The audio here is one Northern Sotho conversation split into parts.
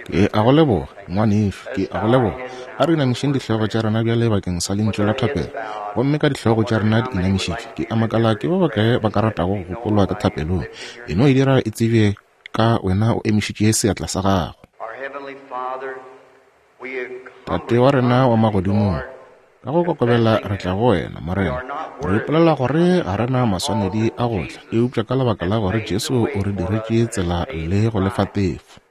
Ke a go leboga, ngwanešu. Ke a go leboga. A re inamišeng dihlogo tša rena bjale bakeng sa lentšu la thapelo. Gomme ka dihlogo tša rena di inamišitšwe, ke a makala ke ba bakae ba ka ratago go gopolwa ka thapelong. E no e dira e tsebje ka wena o emišitše seatla sa gago. Tate wa rena wa magodimong, ka go kokobela re tla go wena, Morena. Re ipolela gore ga re na maswanedi a go tla, eupša ka lebaka la gore Jesu o re diretše tsela le go lefa tefo.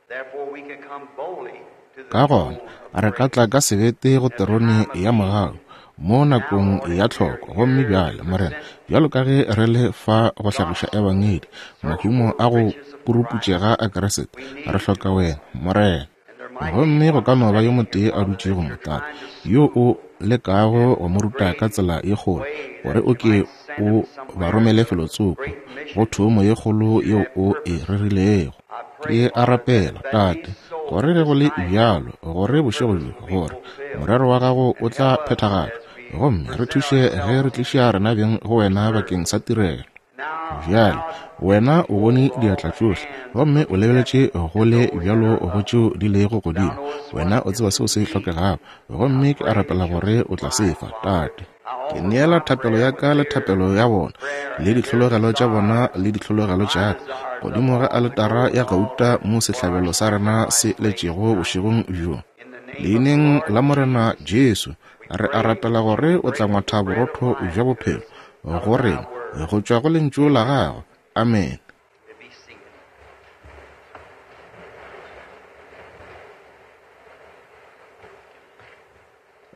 Ka gona re ka tla ka sebete go terone ya mogau mo nakong ya tlhoko. Gomme bjale, Morena, bjalo ka ge re le fa go hlagiša Ebangedi, mahumo a go puruputšega a Kriste, re hloka Wena, Morena. Gomme go ka no ba yo motee a dutšego mo, Tate, yo O lekago go mo ruta ka tsela ye kgolo, gore o ke o ba romele felotsoko, go thomo ye kgolo yeo O e rerilego. Ke a rapela, Tate, gore ge go le bjalo, gore bošego bjo, gore morero wa Gago o tla phethagatšwa, gomme re thuše ge re tliša rena beng go Wena bakeng sa tirelo. Bjale, Wena o bone diatla tšohle, gomme o lebeletše go le bjalo go tšeo di lego godimo. Wena o tseba seo se hlokegago, gomme ke a rapela gore O tla se fa, Tate. Ke neela thapelo ya ka le thapelo ya bona, le dihlologelo tša bona le dihlologelo tša ka, godimo ga aletara ya gauta mo sehlabelo sa rena se letšego bošegong bjo. Leineng la Morena Jesu, re a rapela gore o tla ngwatha borotho bja bophelo go rena go tšwa go Lentšu la Gagwe. Amene.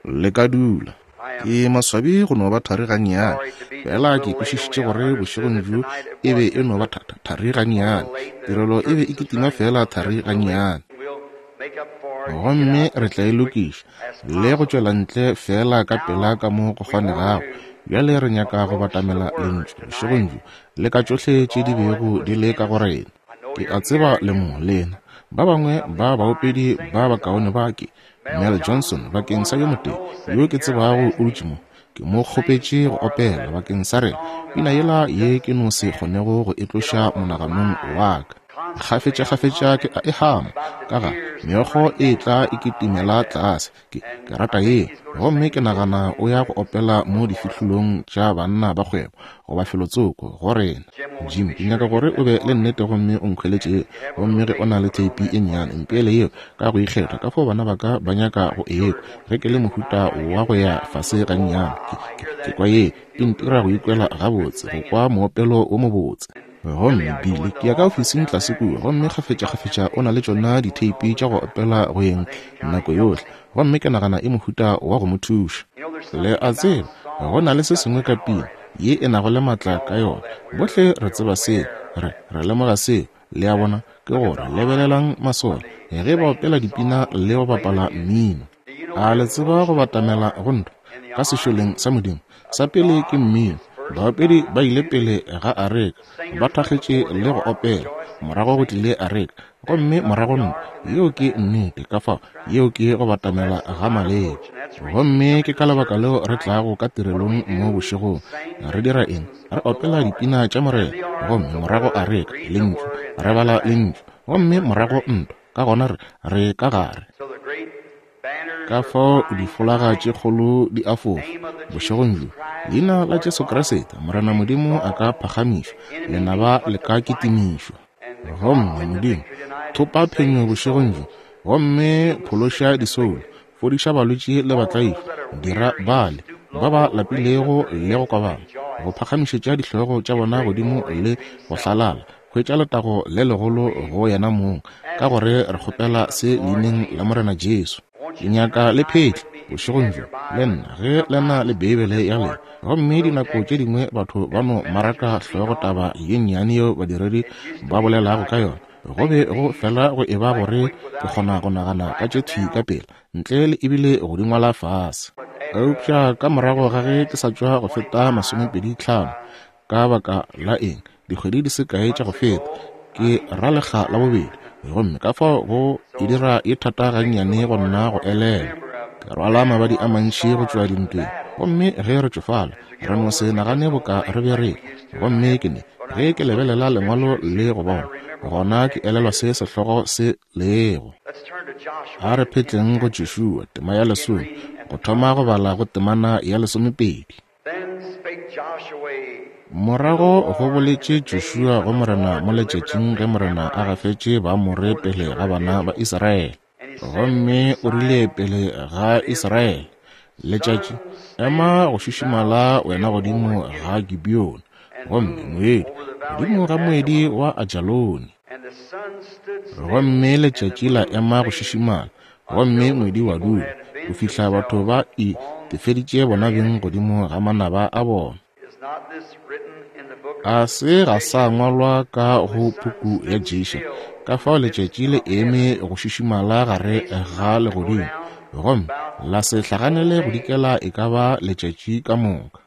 Le ka dula. Ke maswabi go no ba thari gannyane. Fela ke kwešišitše gore bošegong bjo e be e no ba thari gannyane. Tirelo e be e kitima fela thari gannyane. Gomme re tla e lokiša le go tšwela ntle fela ka pela ka mo go kgonegago. Bjale re nyaka go batamela Lentšu bošegong bjo le ka tšohle tše di bego di le ka go rena. Ke a tseba le mo, lena. Ba bangwe ba baopedi ba bakaone ba ke, Mel Johnson, bakeng sa yo motee yo ke tsebago o dutše mo. Ke mo kgopetše go opela bakeng sa rena pina yela ye ke no se kgonego go e tloša monaganong wa ka. Kgafetšakgafetša ke a e hama ka ga meokgo e tla e kitimela tlase. Ke, ke rata yeo. Gomme ke nagana o ya go opela mo difihlolong tša banna ba kgwebo goba felotsoko go rena. Jim, ke nyaka gore o be le nnete gomme o nkhweletše yeo. Gomme ge o na le theipi e nnyane, mpeele yeo ka go ikgetha, ka fao bana ba ka ba nyaka go e kwa ge ke le mohuta wa go ya fase gannyane. Ke, ke, ke kwa yeo e ntira go ikwela gabotse, go kwa moopelo wo mobotse. Gomme Billy, ke ya ka ofising tlase kua, gomme kgafetšakgafetša o na le tšona ditheipi tša go opela go yeng nako yohle, gomme ke nagana e mohuta wa go mo thuša. Le a tseba, go na le se sengwe ka pina ye e nago le maatla ka yona. Bohle re tseba seo, re, re lemoga seo. Le a bona? Ke gore, lebelelang masole ge ba opela dipina le go bapala mmino. A le tseba go batamela go ntwa ka sešoleng sa Modimo? Sa pele ke mmino. Baopedi ba ile pele ga areka, ba thakgetše le go opela. Morago go tlile areka, gomme morago ntwa. Yeo ke nnete. Ka fao, yeo ke go batamela ga maleba. Gomme ke ka lebaka leo re tlago ka tirelong mo bošegong. Re dira eng? Re opela dipina tša Morena, gomme morago areka, Lentšu. Re bala Lentšu, gomme morago ntwa. Ka gona re, re ka gare. Ka fao difolaga tše kgolo di a fofa bošegong bjo. Leina la Jesu Kriste, Morena Modimo a ka phagamišwa, lenaba le ka kitimišwa. Gomme Modimo, thopa phenyo bošegong bjo, gomme phološa disoulo, fodiša balwetši le batlaišwa, dira bale ba ba lapilego le go kobama go phagamišetša dihlogo tša bona godimo le go hlalala, hwetša letago le legolo go yena mong, ka gore re kgopela se leineng la Morena Jesu. Ke nyaka le phetle bošegong bjo le nna ge le na le Beibele ya lena. Gomme dinako tše dingwe batho ba no maraka hlogo taba ye nnyane yeo badiredi ba bolelago ka yona, go be go fela go eba gore ke kgona go nagana ka tše thwi ka pela, ntle le ebile go di ngwala fase. Eupša ka morago ga ge ke sa tšwa go feta masomepedi tlhano, Ka baka la eng, dikgwedi di se kae tša go feta, ke ra lekga la bobedi, gomme ka fao go e dira ye thata gannyane go nna go elelwa. Ke rwala mabadi a mantši go tšwa dintweng, gomme ge re tšofala, re no se nagane boka re be re. Gomme ke ne, ge ke lebelela Lengwalo le go bona, gona ke elelwa se sehlogo se lego. A re phetleng go Joshua, tema ya 10, go thoma go bala go temana ya 12. Morago go boletše Joshua go Morena mo letšatšing ge Morena a gafetše Baamore pele ga bana ba Israele. Gomme o rile pele ga Israele, Letšatši, ema go šišimala wena godimo ga Gibeoni, gomme moedi godimo ga moedi wa Ajaloni. Gomme letšatši la ema go šišimala, gomme moedi wa dula, go fihla batho ba itefeditše bona beng godimo ga manaba a bona. A se ga sa ngwalwa ka go puku ya Jesha, ka fao letšatši le eme go šišimala gare ga legodimo, gomme la se hlaganele go dikela e ka ba letšatši ka moka.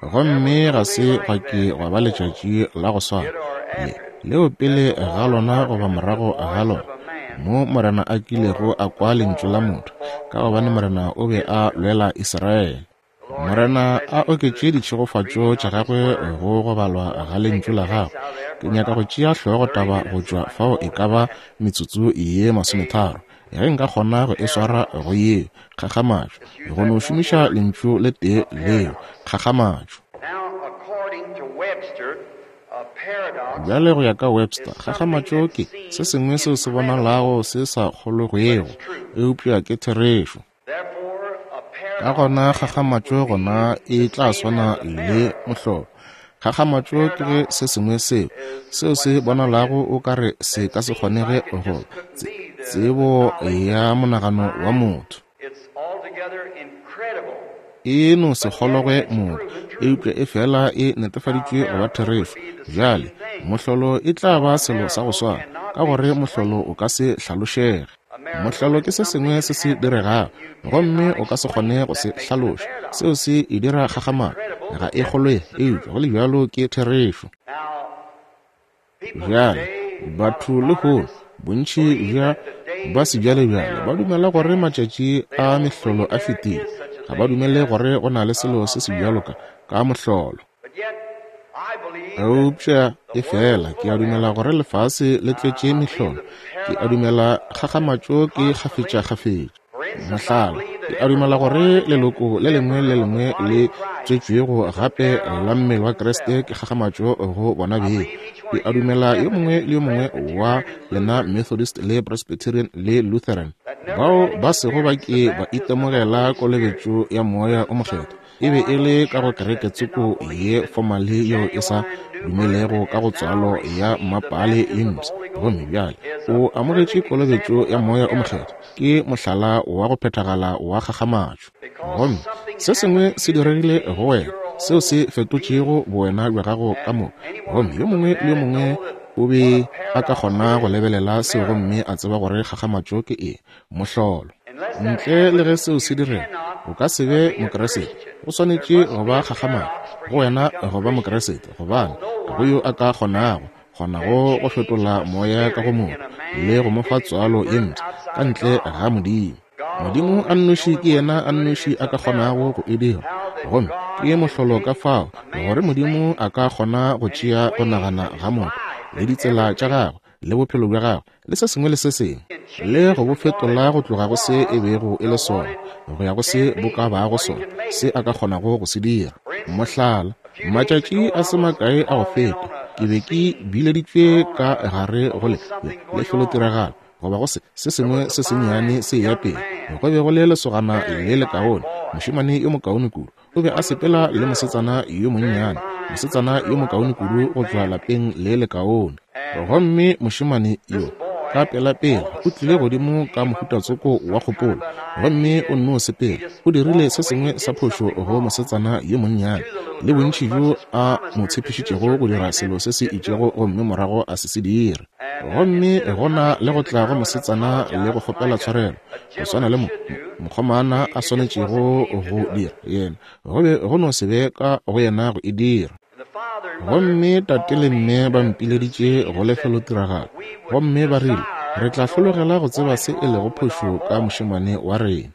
Gomme ga se gwa ke gwa ba letšatši la go swana le leo pele ga lona goba morago ga lona, mo Morena a kilego a kwa lentšu la motho, ka gobane Morena o be a lwela Israele. Morena a oketše ditšhegofatšo tša gagwe go go balwa ga lentšu la gagwe. Ke nyaka go tšea hlogotaba go tšwa fao e ka ba metsotso ye 30, ge nka kgona go e swara go yeo, kgakgamatšo, go no šomiša lentšu le tee leo, kgakgamatšo. Bjale go ya ka Webster, kgakgamatšo ke se sengwe seo se bonalago se sa kgolwegwego, eupša ke therešo. Ka gona kgakgamatšo gona e tla swana le mohlolo. Kgakgamatšo ke ge se sengwe seo seo se bonalago o ka re se ka se kgonege go tsebo ya monagano wa motho. E no se kgologwe motho, eupša e fela e netefaditšwe go ba therešo. Bjale mohlolo e tla ba selo sa go swana, ka gore mohlolo o ka se hlalošege. Mohlolo ke se sengwe se se diregago, gomme o ka se kgone go se hlaloša. Seo se e dira kgakgamatšo, ga e kgolwe, eupša go le bjalo ke therešo. Bjale batho lehono, bontši bja ba sebjalebjale ba dumela gore matšatši a mehlolo a fetile. Ga ba dumele gore go na le selo se se bjalo ka mohlolo. Eupša e fela ke a dumela gore lefase le tletše mehlolo. Ke a dumela kgakgamatšo ke kgafetšakgafetša. Mohlala, ke a dumela gore leloko le lengwe le lengwe le tswetšwego gape la mmele wa Kriste ke kgakgamatšo go bona beng. Ke a dumela yo mongwe le yo mongwe wa lena Methodist le Presbyterian le Lutheran bao ba sego ba ke ba itemogela kolobetšo ya Moya o Mokgethwa, e be e le ka go kereke tsoko ye fomale yeo e sa dumelego ka go tswalo ya mmapale ye mpsha, gomme bjale o amogetše kolobetšo ya Moya o Mokgethwa, ke mohlala wa go phethagala wa kgakgamatšo. Gomme se sengwe se diregile go wena seo se fetotšego bowena bja gago ka moka, gomme yo mongwe le yo mongwe o be a ka kgona go lebelela seo gomme a tseba gore kgakgamatšo ke eng, mohlolo. Ntle le ge seo se direga, o ka se be Mokeresete. O swanetše go ba kgakgamatšo go wena go ba Mokeresete, gobane ga go yo a ka kgonago go fetola moya ka go motho le go mo fa tswalo ye mpsha ka ntle ga Modimo. Modimo a nnoši ke yena a nnoši a ka kgonago go e dira, gomme ke mohlolo ka fao gore Modimo a ka kgona go tšea go nagana ga motho le ditsela tša gagwe le bophelo bja gagwe le se sengwe le se sengwe le go bo fetola go tloga go se e bego e le sona go ya go se bo ka bago sona, se a ka kgonago go se dira. Mohlala, matšatši a se makae a go feta ke be ke bileditšwe ka gare go lefelotiragalo goba go se sengwe se sennyane se ya pele. Go be go le lesogana le lekaone, mošemane yo mokaone kudu, o be a sepela le mosetsana yo monnyane, mosetsana yo mokaone kudu go tšwa lapeng le lekaone. Gomme mošemane yo ka pelapela o tlile godimo ka mohutatsoko wa kgopolo, gomme o nno sepela, o dirile se sengwe sa phošo go mosetsana yo monnyane, le bontši bjo a mo tshepišitšego go dira selo se se itšego gomme morago a se se dire. Gomme gona le go tla go mosetsana le go kgopela tshwarelo, go swana le mokgomana a swanetšego go dira, yena go be go no se be ka go yena go e dira. Gomme tate le mme ba mpileditše go lefelotiragalo, gomme ba rile re tla hlologela go tseba se e lego phošo ka mošemane wa rena.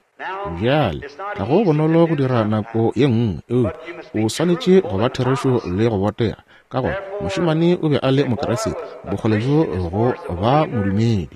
Bjale ga go bonolo go dira nako ye nngwe, eupša o swanetše go ba therešo le go botega, ka gore mošemane o be a le Mokeresete, bokgole bjo go ba modumedi.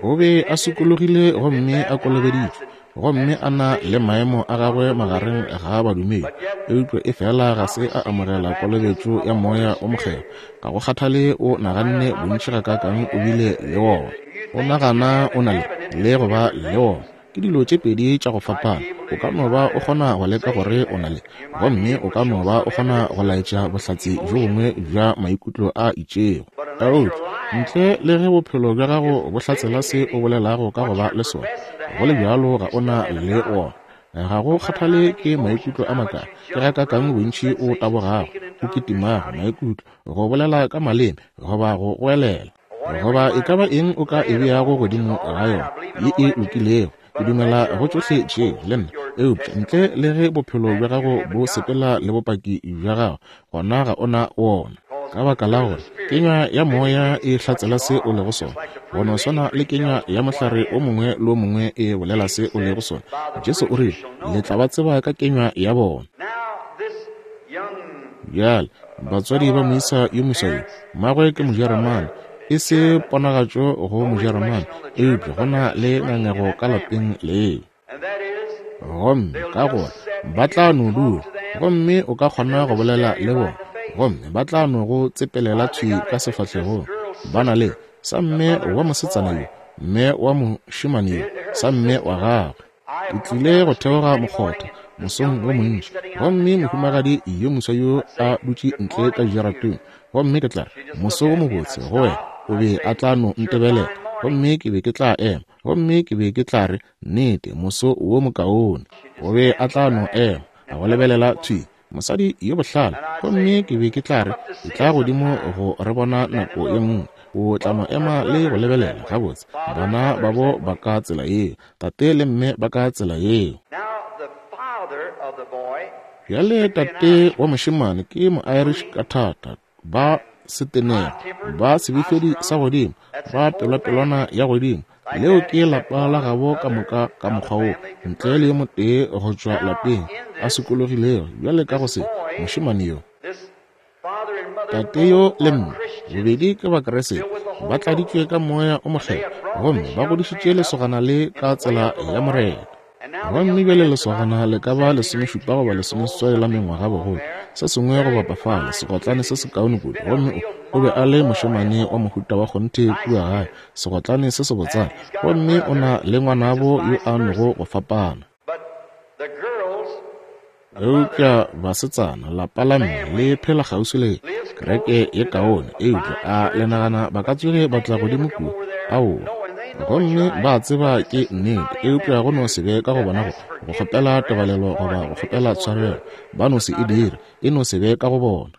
O be a sokologile gomme a kolobeditšwe, gomme a na le maemo a gagwe magareng ga badumedi, eupša efela ga se a amogela kolobetšo ya Moya wo Mokgethwa. Ga go kgathale o naganne bontši gakaakang o bile le wona, o nagana o na le, le go ba le wona. Ke dilo tše pedi tša go fapana. O ka no ba o kgona go leka gore o na le, gomme o ka no ba o kgona go laetša bohlatse bjo bongwe bja maikutlo a itšego. Eupša ntle le ge bophelo bja gago bo hlatsela se o bolelago ka go ba le sona, go le bjalo ga o na le wona. Ga go kgathale ke maikutlo a makae, ke gakaakang bontši o tabogago, o kitimago, maikutlo, go bolela ka maleme, goba go goelela, goba e ka ba eng o ka e beago godimo ga yona ye e lokilego, ke dumela go tšohle tšeo le nna. Eupša ntle le ge bophelo bja gago bo sepela le bopaki bja gago, gona ga o na wona. Ka baka la gore kenywa ya moya e hlatsela se o lego sona, go no swana le kenywa ya mohlare o mongwe le o mongwe e bolela se o lego sona. Jesu o rile, Le tla ba tseba ka kenywa ya bona. Bjale, batswadi ba moisa yo moswa yo, mmagwe ke Mojeremane, e se ponagatšo go Mojeremane, eupša go na le ngangego ka lapeng leo. Gomme ka gore ba tla no dula, gomme o ka kgona go bolela le bona, gomme ba tla no go tsepelela thwi ka sefahlegong. Ba na le sa mme wa mosetsana yo, mme wa mošemane yo, sa mme wa gagwe. Ke tlile go theoga mokgotha mosong wo montši, gomme mohumagadi yo moswa yo a dutše ntle ka jarateng, gomme ke tla re, Moso wo mobotse go wena. O be a tla no ntebelela, gomme ke be ke tla ema, gomme ke be ke tla re, Nnete, moso wo mokaone. O be a tla no ema, a go lebelela thwi, mosadi yo bohlale, gomme ke be ke tla re, Etla godimo go re bona nako ye nngwe. O tla no ema le go lebelela, gabotse, bana babo ba ka tsela yeo, tate le mme ba ka tsela yeo. Bjale tate wa mošemane ke mo-Irish ka thata, ba setenego, ba sebefedi sa godimo, ba pelwapelwana ya godimo. Leo ke lapa la gabo ka moka ka mokgwa wo, ntle le yo motee go tšwa lapeng a sokologilego bjale ka go se mošemane yo. Tate yo le mme bobedi ke Bakriste, ba tladitšwe ka Moya o Mokgethwa gomme ba godišitše lesogana le ka tsela ya Morena. Gomme bjale lesogana le ka ba lesomešupa goba lesomeseswai la mengwaga bogolo, se sengwe go bapa fale, segotlane se sekaone kudu. Gomme o, o be a le mošemane wa mohuta wa kgonthe kua gae, segotlane se sebotsana. Gomme o na le ngwanabo yo a nogo go fapana. Eupša basetsana, lapa la mme le phela kgauswi le kereke ye kaone, eupša a le nagana ba ka tsoge ba tla godimo kua? Aowa. Gomme ba tseba ke nnete, eupša go no se be ka go bona go, go kgopela tebalelo goba go kgopela tshwarelo. Ba no se e dire, e no se be ka go bona.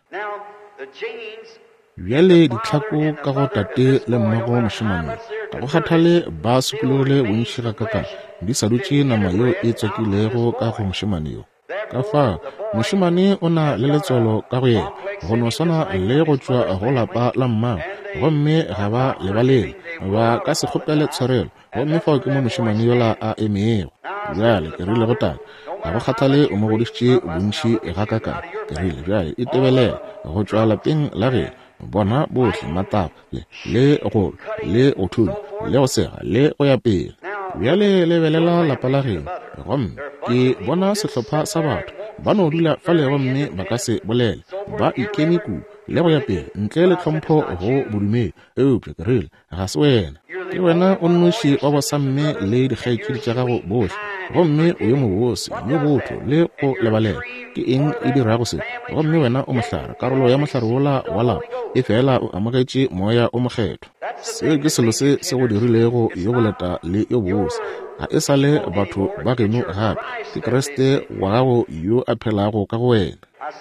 Bjale ditlhako ka go tate le mmago mošemane yo, ga go kgathale ba sokologile bontši gakakang, di sa dutše nama yeo e tswakilego ka go mošemane yo. Ka fao, mošemane o na le letswalo ka go yena, go no swana le go tšwa go lapa la mmagwe, gomme ga ba lebalele, ba ka se kgopele tshwarelo, gomme fao ke mo mošemane yola a emego. Bjale, ke rile go tate, ga go kgathale o mo godišitše bontši gakakang, ke rile, bjale itebelela go tšwa lapeng la geno, bona bohle mataba le, le go lwa, le go thunya, le go sega, le go ya pele. Bjale lebelela lapa la geno, gomme ke bona sehlopha sa batho ba no dula fale gomme ba ka se bolele, ba ikeme kudu le go ya pele, ntle le tlhompho go bodumedi. Eupša ke rile, Ga se wena. Ke wena o nnoši wa bosamme le dikgaetšedi tša gago bohle, gomme o yo mobose, yo botho le go lebalela. Ke eng e dirago se? Gomme wena o mohlare, karolo ya mohlare wola wa lapa, efela o amogetše Moya wo Mokgethwa. Seo ke selo se se go dirilego yo boleta le yo bose. Ga e sa le batho ba geno gape, ke Kriste wa gago yo a phelago ka go wena.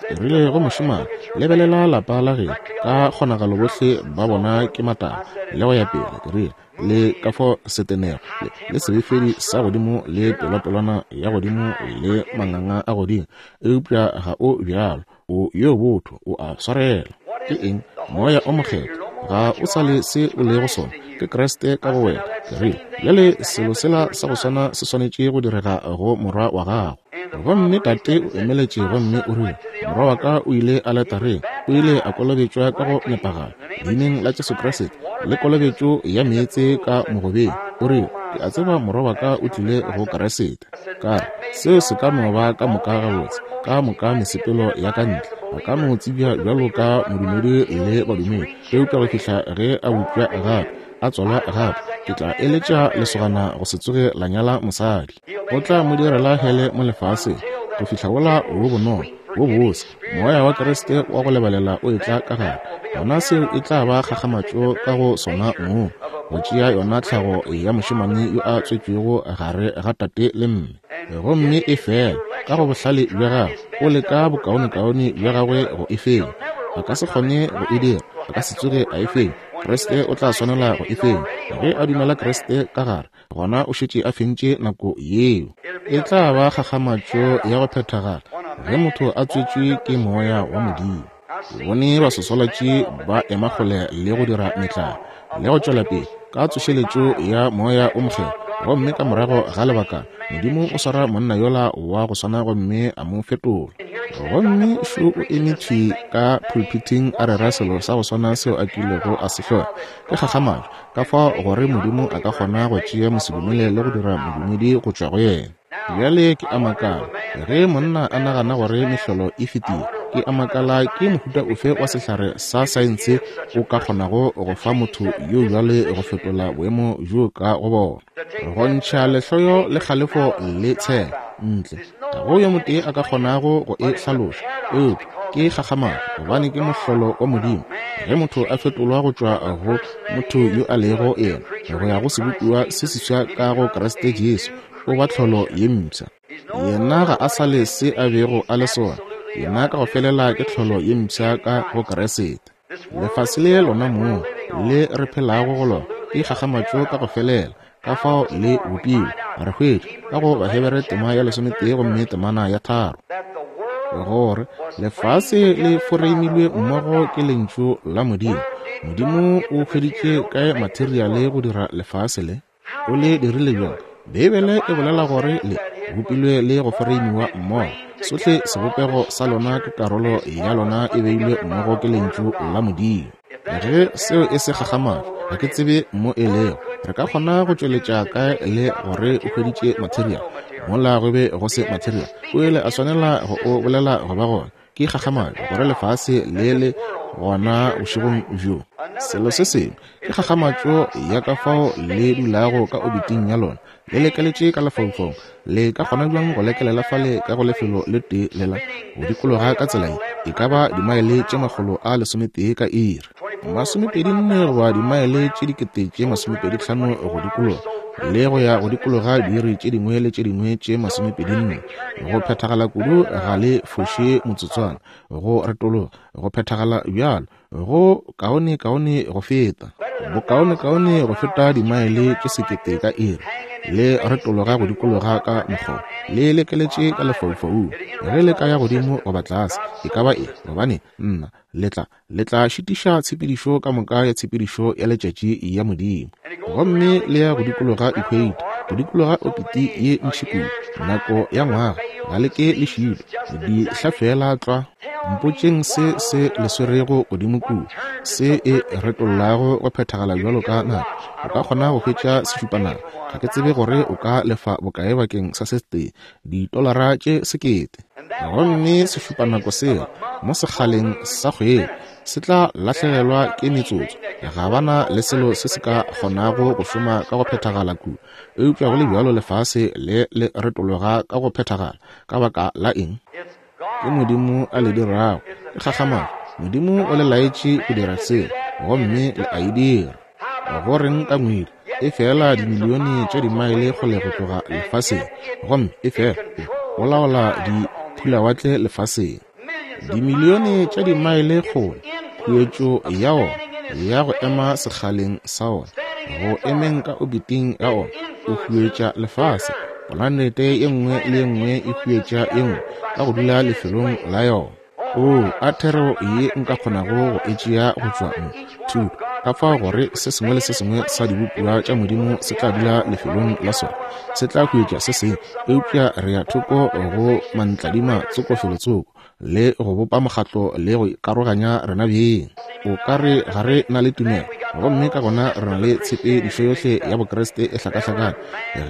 Ke rile go mošemane, lebelela lapa la geno, ka kgonagalo bohle ba bona ke matala, le go ya pele. Ke rile, le ka fo setenego, le, le sebefedi sa godimo, le pelwapelwana ya godimo, le manganga a godimo, eupša ga o bjalo, o yo botho, o a swarela. Ke eng? Moya o Mokgethwa. Ga o sa le se o lego sona, ke Kriste ka go wena. Ke rile, bjale selo sela sa go swana se swanetše go direga go morwa wa gago. Gomme tate o emeletše gomme o rile, Morwa wa ka o ile aletareng, o ile a kolobetšwa ka go nepagala, Leineng la Jesu Kriste, le kolobetšo ya meetse ka mogobeng. O rile, Ke a tseba morwa wa ka o tlile go Kriste. Ka re, Seo se ka no ba ka moka gabotse, ka moka mesepelo ya ka ntle. A ka no tsebja bjalo ka modumedi le badumedi, eupša go fihla ge a bopša gape, a tswalwa gape, ke tla eletša lesogana go se tsoge la nyala mosadi. O tla mo direla hele mo lefaseng, go fihla wola wo bonolo, wo bose, Moya wa Kriste wa go lebalela o etla ka gare. Gona seo e tla ba kgakgamatšo ka go sona mong, go tšea yona tlhago ya mošemane yo a tswetšwego gare ga tate le mme. Gomme e fela, ka go bohlale bja gagwe, o leka bokaonekaone bja gagwe go e fenya. A ka se kgone go e dira, a ka se tsoge a e fenya. Kriste o tla swanela go e fenya. Ge a dumela Kriste ka gare, gona o šetše a fentše nako yeo. E tla ba kgakgamatšo ya go phethagala ge motho a tswetšwe ke Moya wa Modimo. Ke bone baswaswalatši ba ema kgole le go dira metlaa le go tšwela pele ka tsošeletšo ya Moya o Mokgethwa, gomme ka morago ga lebaka Modimo o swara monna yola wa go swana gomme a mo fetola. Gomme šo o eme thwi ka pulpiting a rera selo sa go swana seo a kilego a se hloya. Ke kgakgamatšo ka fao gore Modimo a ka kgona go tšea mosedumele le go dira modumedi go tšwa go yena. Bjale ke a makala, ge monna a nagana gore mehlolo e fetile, ke a makala ke mohuta ofe wa sehlare sa saense o ka kgonago go fa motho yo bjale go fetola boemo bjo ka go bona, go ntšha lehloyo le kgalefo le tshelo ntle. Ga go yo motee a ka kgonago go e hlaloša, eupša ke kgakgamatšo, gobane ke mohlolo wa Modimo ge motho a fetolwa go tšwa go motho yo a lego yena go ya go sebopiwa se seswa ka go Kriste Jesu, o ba tlholo ye mpsha. Yena ga a sa le se a bego a le sona, yena ka go felela ke tlholo ye mpsha ka go Kriste. Lefase le lona moo le re phelago go lona ke kgakgamatšo ka go felela, ka fao le bopilwe. Re hwetša ka go Bahebere tema ya lesometee gomme temana ya tharo gore lefase le foreimilwe mmogo ke lentšu la Modimo. Modimo o hweditše kae materiale go dira lefase le? O le dirile bjang? Beibele e bolela gore le bopilwe le go foreimiwa mmogo. Sohle sebopego sa lona ke karolo ya lona e beilwe mmogo ke Lentšu la Modimo. Ge seo e se kgakgamatšo, ga ke tsebe mo e lego. Re ka kgona go tšweletša kae le gore o hweditše material mola go be go se material? O ile a swanela go o bolela go ba gona. Ke kgakgamatšo gore lefase le le gona bošegong bjo. Selo se sengwe ke kgakgamatšo ya ka fao le dulago ka obiting ya lona, le lekeletše ka lefaufaung. Le ka kgona bjang go lekelela fale ka go lefelo le tee lela go dikologa ka tsela ye, e ka ba dimaele tše 111 ka iri, 24 goba dimaele tše 2500 go dikologa, le go ya go dikologa diiri tše dingwe le tše dingwe tše 24. Go phethagala kudu ga le foše motsotswana, go retologa, go phethagala bjalo, go kaonekaone go feta, bokaonekaone go feta dimaele tše sekete ka iri, le retologa go dikologa ka mokgwa le lekeletše ka lefaufaung. Ge le ka ya godimo goba tlase, e ka ba eng, gobane nna le tla le tla šitiša tshepedišo ka moka ya tshepedišo ya letšatši ya Modimo. Gomme le ya go dikologa ekhweita, go dikologa opiti ye ntši kudu, nako ya ngwaga, ga le ke le šitwa, di hlafela tlwa. Mpotšeng se se le swerego godimo kua, se e retollago go phethagala bjalo ka nako. O ka kgona go hwetša sešupanako, ga ke tsebe gore o ka lefa bokae bakeng sa se tee, ditolara tše sekete. Gomme sešupanako seo mo sekgaleng sa kgwedi se tla lahlegelwa ke metsotso. Ga ba na le selo se se ka kgonago go šoma ka go phethagala kua, eupša go le bjalo lefase le le retologa ka go phethagala. Ka baka la eng? Ke Modimo a le dirago. Ke kgakgamatšo. Modimo o le laetše go dira seo, gomme le a e dira. Go reng ka ngwedi? E fela dimilione tša dimaele kgole go tloga lefaseng, gomme e fela o laola diphulawatle lefaseng. Dimilione tša dimaele kgole, khuetšo ya ona ya go ema sekgaleng sa ona, go emeng ka obiting ya ona, o huetša lefase. Polanete ye nngwe le ye nngwe e huetša ye nngwe ka go dula lefelong la yona. Oo, a thero ye nka kgonago go e tšea go tšwa mo, thuto. Ka fao gore se sengwe le se sengwe sa dibopiwa tša Modimo se tla dula lefelong la sona, se tla hwetša se sengwe, eupša re ya thoko go mantladima tsoko felotsoko, le go bopa mokgatlo le go ikaroganya rena beng. O ka re ga re na le tumelo, gomme ka gona re na le tshepedišo yohle ya Bokriste e hlakahlakane.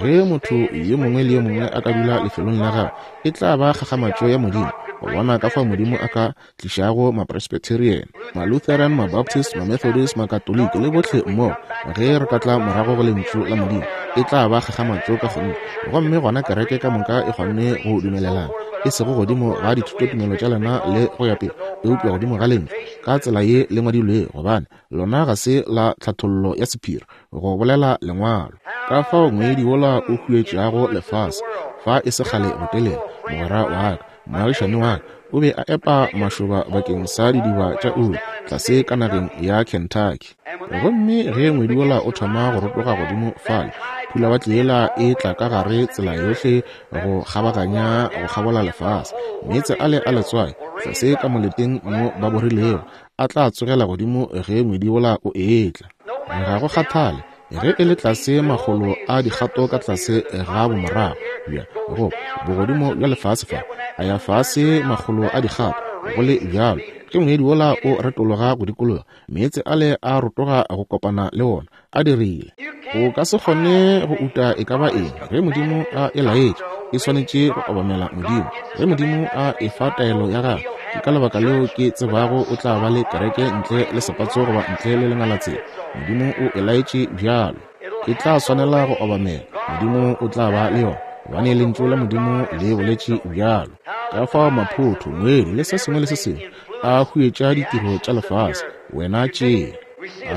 Ge motho yo mongwe le yo mongwe a ka dula lefelong la gagwe, e tla ba kgakgamatšo ya Modimo go bona ka fao Modimo a ka tlišago Mapresbyterian, Malutheran, Mabaptist, Mamethodist, Makatoliki le bohle mmogo. Ge re ka tla morago go Lentšu la Modimo, e tla ba kgakgamatšo ka kgonthe. Gomme gona kereke ka moka e kgonne go dumelelana, e sego godimo ga dithutotumelo tša lena le go ya pele, eupša godimo ga Lentšu, ka tsela ye le ngwadilwego, gobane lona ga se la tlhathollo ya sephiri, go bolela Lengwalo. Ka fao ngwedi wola o huetšago lefase, fa e se kgale botelele, mogwera wa ka, moagišani wa ka, o be a epa mašoba bakeng sa didiba tša oli tlase ka nageng ya Kentucky. Gomme ge ngwedi wola o thoma go rotoga godimo fale, phulawatle yela e tla ka gare tsela yohle go kgabaganya go kgabola lefase. Meetse ale a letswai tlase ka moleteng mo ba borilego a tla tsogela godimo ge ngwedi wola o etla. Ga go kgathale ge e le tlase makgolo a dikgato ka tlase ga bomorago bja go bogodimo bja lefase fa, a ya fase makgolo a dikgato go le bjalo, ge ngwedi wola o retologa go dikologa, meetse ale a rotoga go kopana le wona, a dirile. O ka se kgone go uta e ka ba eng ge Modimo a e laetše. E swanetše go obamela Modimo. Ge Modimo a e fa taelo ya gagwe, ke ka lebaka leo ke tsebago o tla ba le kereke ntle le sepatso goba ntle le lengalatsela. Modimo o e laetše bjalo. E tla swanela go obamela. Modimo o tla ba le yona, gobane Lentšu la Modimo le boletše bjalo. Ka fao maphotho, ngwedi, le se sengwe le se sengwe a huetša ditiro tša lefase. Wena tšea.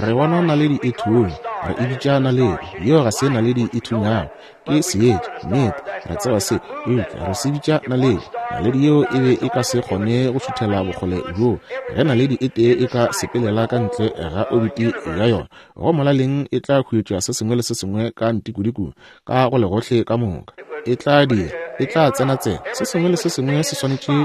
Re bona naledi e thunya, re e bitša naledi. Yeo ga se naledi e thunyago, ke seetša. Nnete, re tseba se, eupša re se bitša naledi. Naledi yeo e be e ka se kgone go šuthela bokgole bjoo. Ge naledi e tee e ka sepelela ka ntle ga obiti ya yona, go molaleng e tla huetša se sengwe le se sengwe ka ntikodikong, ka go legohle ka moka. E tla dira, e tla tsena-tsena. Se sengwe le se sengwe se swanetše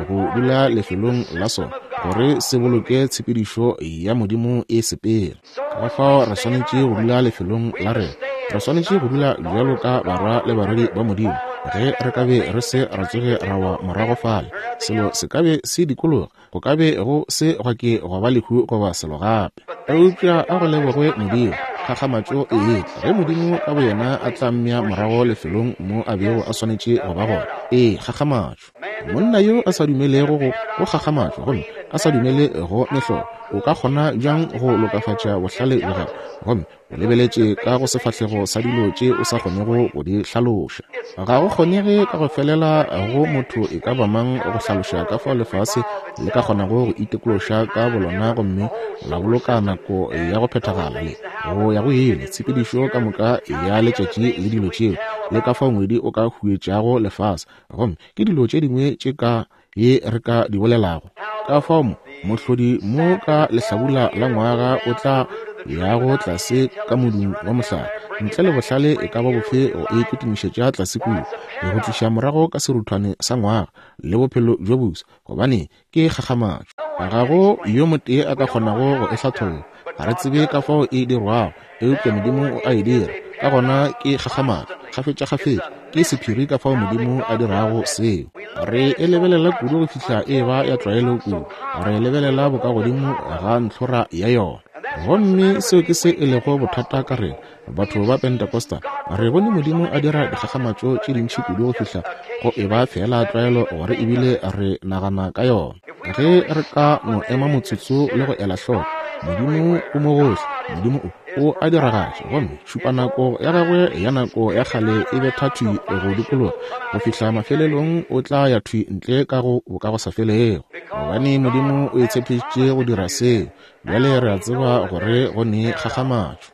go dula lefelong la sona gore se boloke tshepedišo ya Modimo e sepela. Ka fao re swanetše go dula lefelong la rena. Re swanetše go dula bjalo ka barwa le barwedi ba Modimo. Ge re ka be re se ra tsoge ra wa morago fale, selo se ka be se dikologa, go ka be go se gwa ke gwa ba lehu goba selo gape. Eupša a go lebogwe Modimo, kgakgamatšo e etla ge Modimo ka boyena a tla mmea morago lefelong mo a bego a swanetše go ba gona. Ee, kgakgamatšo. Monna yo a sa dumelego go go kgakgamatšo gomme a sa dumele go mehlolo, o ka kgona bjang go lokafatša bohlale bja gagwe gomme O lebeletše ka go sefahlego sa dilo tše o sa kgonego go di hlaloša. Ga go kgonege ka go felela go motho e ka ba mang go hlaloša ka fao lefase le ka kgonago go itekološa ka bolona gomme la boloka nako ya go phethagala le go ya go ile, tshepedišo ka moka ya letšatši le dilo tšeo, le ka fao ngwedi o ka huetšago lefase, gomme ke dilo tše dingwe tše ka ye re ka di bolelago. Ka fao mo, mohlodi mo ka lehlabula la ngwaga o tla yago tlase ka modung wa mohlare, ntle le bohlale e ka ba bofe go e kitimišetša tlase kua, go tliša morago ka seruthwane sa ngwaga le bophelo bjo bosa, gobane ke kgakgamatšo. Ga go yo motee a ka kgonago go e hlatholla. Ga re tsebe ka fao e dirwago, eupša Modimo o a e dira. Ka gona ke kgakgamatšo, kgafetšakgafetša, ke sephiri ka fao Modimo a dirago seo. Re e lebelela kudu go fihla e ba ya tlwaelo kudu, re lebelela bokagodimo ga ntlhora ya yona. Gomme seo ke se e lego bothata ka rena, batho ba Pentecostal. Re bone Modimo a dira dikgakgamatšo tše dintši kudu go fihla go e ba feela tlwaelo gore ebile re nagana ka yona. Ge re ka no ema motsotso le go ela hloko, Modimo o mo gohle, Modimo o, o a diragatša, gomme tšhupanako ya gagwe ya nako ya kgale e betha thwi go dikologa go fihla mafelelong o tla ya thwi ntle ka go bokagosafelego, gobane Modimo o e tshepišitše go dira seo. Bjale re a tseba gore go ne kgakgamatšo.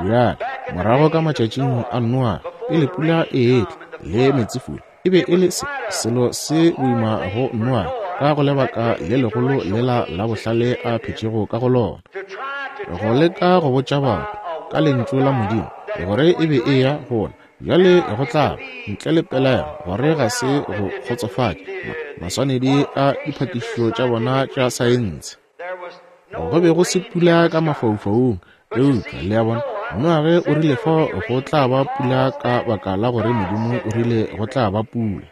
Bjale, morago ka matšatšing a Noa, pele pula e etla le meetsefula, e be e le se, selo se boima go Noa ka go lebaka le legolo lela la bohlale a phetšego ka go lona, go leka go botša batho ka Lentšu la Modimo gore e be e ya go na. Bjale go tla ba, ntle le pelaelo, gore ga se go kgotsofatše maswanedi a diphatišišo tša bona tša saense. Go be go se pula ka mafaufaung, eupša, le a bona, Noage o rile fao go tla ba pula ka baka la gore Modimo o rile go tla ba pula.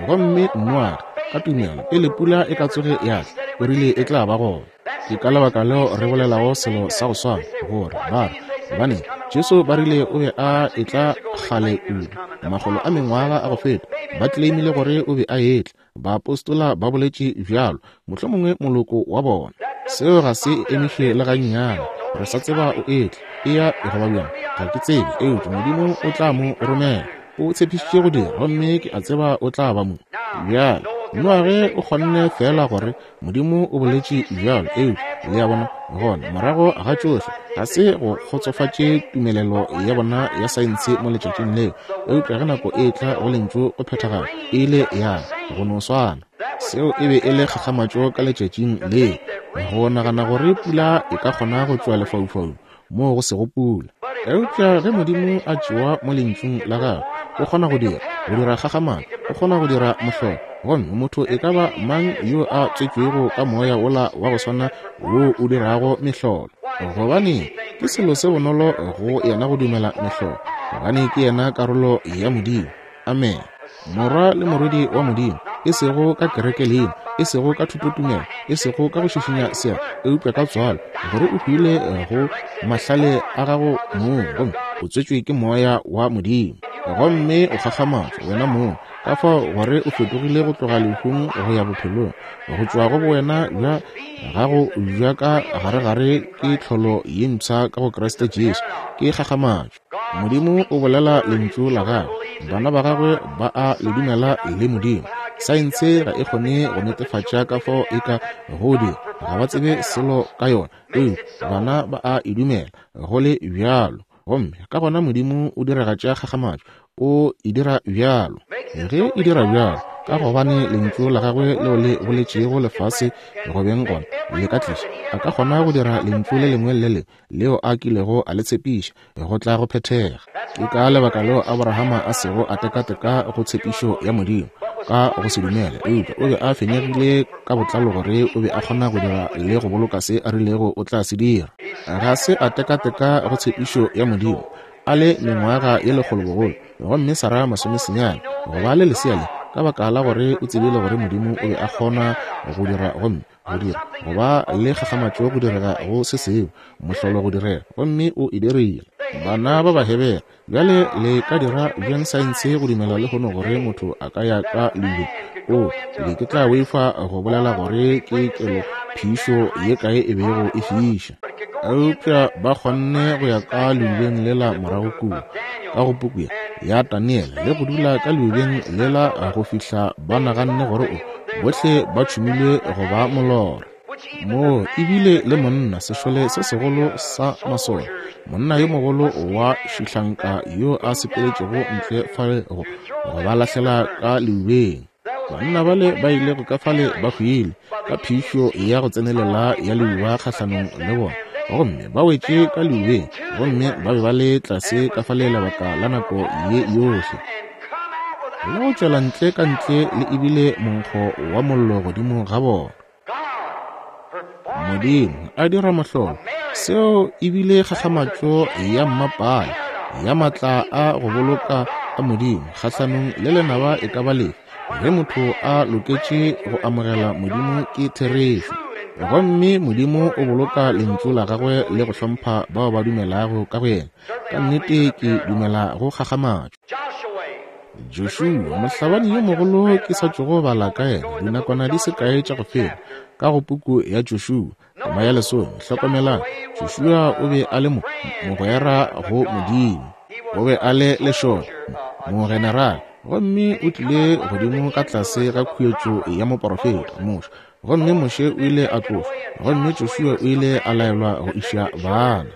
Gomme Noage, ka tumelo, pele pula e ka tsoge ya tla, o rile e tla ba gona. Ke ka lebaka leo re bolelago selo sa go swana, gore ba re, Gobaneng, Jesu ba rile o be a etla kgale kudu, makgolo a mengwaga a go feta, ba tleleimile gore o be a etla. Baapostola ba boletše bjalo, mohlomongwe moloko wa bona. Seo ga se emiše le gannyane. Re sa tseba o etla, eya e go ba bjang, ga ke tsebe, eupša Modimo o tla mo romela. O tshepišitše go dira, gomme ke a tseba o tla ba mo. Bjale, Noage o kgonne feela gore Modimo o boletše bjalo, eupša, le a bona, gona morago ga tšohle, ga se go kgotsofatše tumelelo ya bona ya saense mo letšatšing leo, eupša ge nako e etla go Lentšu go phethagala, e ile ya go no swana. Seo e be e le kgakgamatšo ka letšatšing leo, go nagana gore pula e ka kgona go tšwa lefaufaung moo go sego pula. Eupša ge Modimo a tšewa mo Lentšung la Gagwe, O kgona go dira, go dira kgakgamatšo, O kgona go dira mohlolo. Gomme motho e ka ba mang yo a tswetšwego ka Moya wola wa go swana wo o dirago mehlolo, gobane ke selo se bonolo go yena go dumela mehlolo, gobane ke yena karolo ya Modimo. Amene. Morwa le morwedi wa Modimo, e sego ka kerekelina, e sego ka thutotumelo, e sego ka go šišinya seatla, eupša ka tswalo, gore o hwile go mahlale a gago mong, gomme o tswetšwe ke Moya wa Modimo. Gomme o kgakgamatšwa wena mong, ka fao gore o fetogile go tloga lehung go ya bophelong, go tšwa go bowena bja gago bja ka garegare ke tlholo ye mpsha ka go Kriste Jesu. Ke kgakgamatšo. Modimo o bolela Lentšu la Gagwe, bana ba Gagwe ba a Le dumela le Modimo. Saense ga e kgone go netefatša ka fao e ka go dira, ga ba tsebe selo ka yona, eupša bana ba a e dumela go le bjalo. Gomme ka gona Modimo o diragatša kgakgamatšo, o e dira bjalo. Ge e dira bjalo, ka gobane Lentšu la Gagwe leo le boletšego lefase go beng gona le ka tliša, a ka kgona go dira Lentšu le lengwe le le lengwe leo a kilego a le tshepiša go tla go phethega. Ke ka lebaka leo Abrahama a sego a tekateka go tshepišo ya Modimo ka go se dumele, eupša o be a fenyegile ka botlalo gore o be a kgona go dira le go boloka se a rilego o tla se dira. Ga se a tekateka go tshepišo ya Modimo a le mengwaga ye lekgolo bogolo, gomme Sara masomesenyane, go ba le lesea le, ka baka la gore o tsebile gore Modimo o be a kgona go dira gomme go dira go ba le kgakgamatšo go direga go se sengwe, mohlolo go direga, gomme o e dirile. Bana ba Bahebere, bjale le ka dira bjang saense go dumela lehono gore motho a ka ya ka leubeng? O, ke be ke tla boifa go bolela gore ke kelo phišo ye kae e bego e fiša. Eupša ba kgonne go ya ka leubeng lela morago kua, ka go puku ya, ya Daniele, le go dula ka leubeng lela go fihla ba naganne gore o, Bohle ba tšhumilwe go ba molora. Moo ebile le monna, sešole se segolo sa masole, monna yo mogolo wa šihlanka yo a sepeletšego ntle fale go, go ba lahlela ka leubeng. Banna bale ba ilego ka fale ba hwile ka phišo ya go tsenelela ya leuba kgahlanong le bona, gomme ba wetše ka leubeng, gomme ba be ba le tlase ka fale lebaka la nako ye yohle. Le go tšwela ntle ka ntle le ebile monkgo wa mollo godimo ga bona. Modimo a dira mohlolo. Seo ebile kgakgamatšo ya mmapale ya matla a go boloka a Modimo kgahlanong le lenaba e ka ba lefe ge motho a loketše go amogela Modimo ke therešo. Gomme Modimo o boloka Lentšu la Gagwe le go hlompha bao ba dumelago ka go Yena. Ka nnete ke dumela go kgakgamatšo. Joshua, mohlabani yo mogolo ke sa tšogo bala ka yena dinakwana di se kae tša go feta, ka go puku ya Joshua, tema ya lesome. Hlokomelang, Joshua o be a le mo, mogwera go Modimo. O be a le lešole, mogenerale, gomme o tlile godimo ka tlase ga khuetšo ya moporofeta, Moshe. Gomme Moshe o ile a tlošwa, gomme Joshua o ile a laelwa go iša bana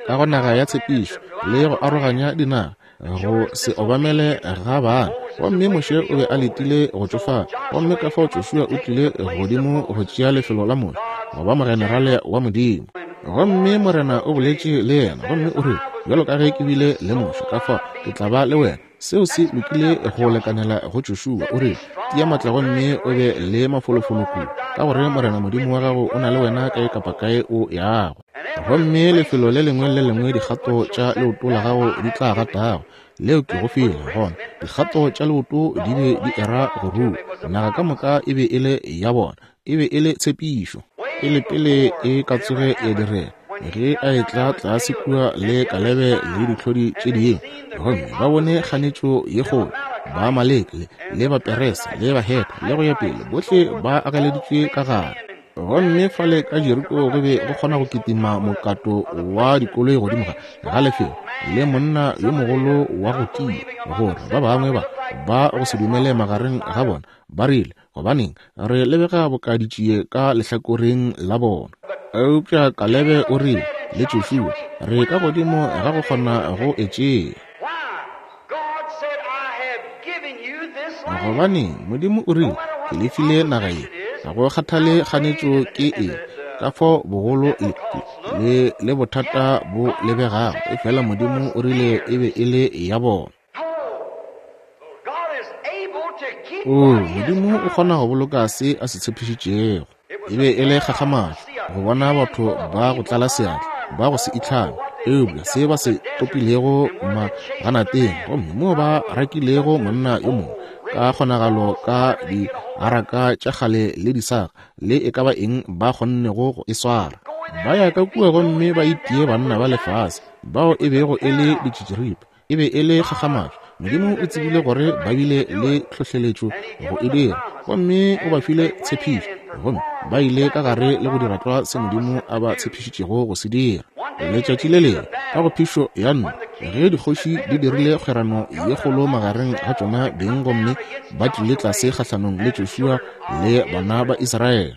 ka go naga ya tshepišo le go aroganya dinaga, go se obamele ga bana. Gomme Moshe o be a letile go tšofala, gomme ka fao Joshua o tlile godimo go tšea lefelo la Moshe, go ba mogenerale wa Modimo. Gomme Morena o boletše le yena, gomme o rile, Bjalo ka ge ke bile le Moshe, ka fao ke tla ba le wena. Seo se lokile go lekanela go Joshua. O rile, Tia matla gomme o be le mafolofolo kudu, ka gore Morena Modimo wa gago o na le wena kae kapa kae o yago. Gomme lefelo le lengwe le le lengwe dikgato tša leoto la gago di tla gatago, leo ke go file. Gona dikgato tša leoto di be di era go rua. Naga ka moka e be e le ya bona. E be e le tshepišo. Pele pele e ka tsoge ya direga, ge a etla tlase kua le Kalebe le dihlodi tše dingwe, gomme ba bone kganetšo ye kgolo, Baamaleke le, le Baperese le Bahethe le go ya pele, bohle ba ageleditšwe ka gare. Gomme fale ka Jeriko go be go kgona go kitima mokato wa dikoloi godimo ga, ga lefelo, le monna yo mogolo wa go tia, gore ba bangwe ba, ba go se dumele magareng ga bona, ba rile, Gobaneng, re lebega boka ditšie ka lehlakoreng la bona. Eupša Kalebe o rile, le Joshua, re ka godimo ga go kgona go e tšea. Gobaneng, Modimo o rile, Ke le file naga ye. Ga go kgathale kganetšo ke eng, ka fao bogolo le, le, le bothata bo lebegago, efela Modimo o rile e be e le ya bona. Oo, Modimo o kgona go boloka se a se tshepišitšego. E be e le kgakgamatšo go bona batho ba go tlala seatla, ba go se itlhame, eupša se ba se topilego maganateng, gomme moo ba rakilego monna yo mongwe ka kgonagalo ka diaraka tša kgale le disaga le e ka ba eng ba kgonnego go e swara, ba ya ka kua gomme ba itie banna ba lefase bao e bego e le ditšitširipa. E be e le kgakgamatšo. Modimo o tsebile gore ba bile le tlhohleletšo go e dira, gomme o ba file tshepišo, gomme ba ile ka gare le go dira tlwa se Modimo a ba tshepišitšego go se dira. Letšatši le lengwe, ka go phišo ya nno, ge dikgoši di dirile kgwerano ye kgolo magareng ga tšona beng gomme ba tlile tlase kgahlanong le Joshua le bana ba Israele,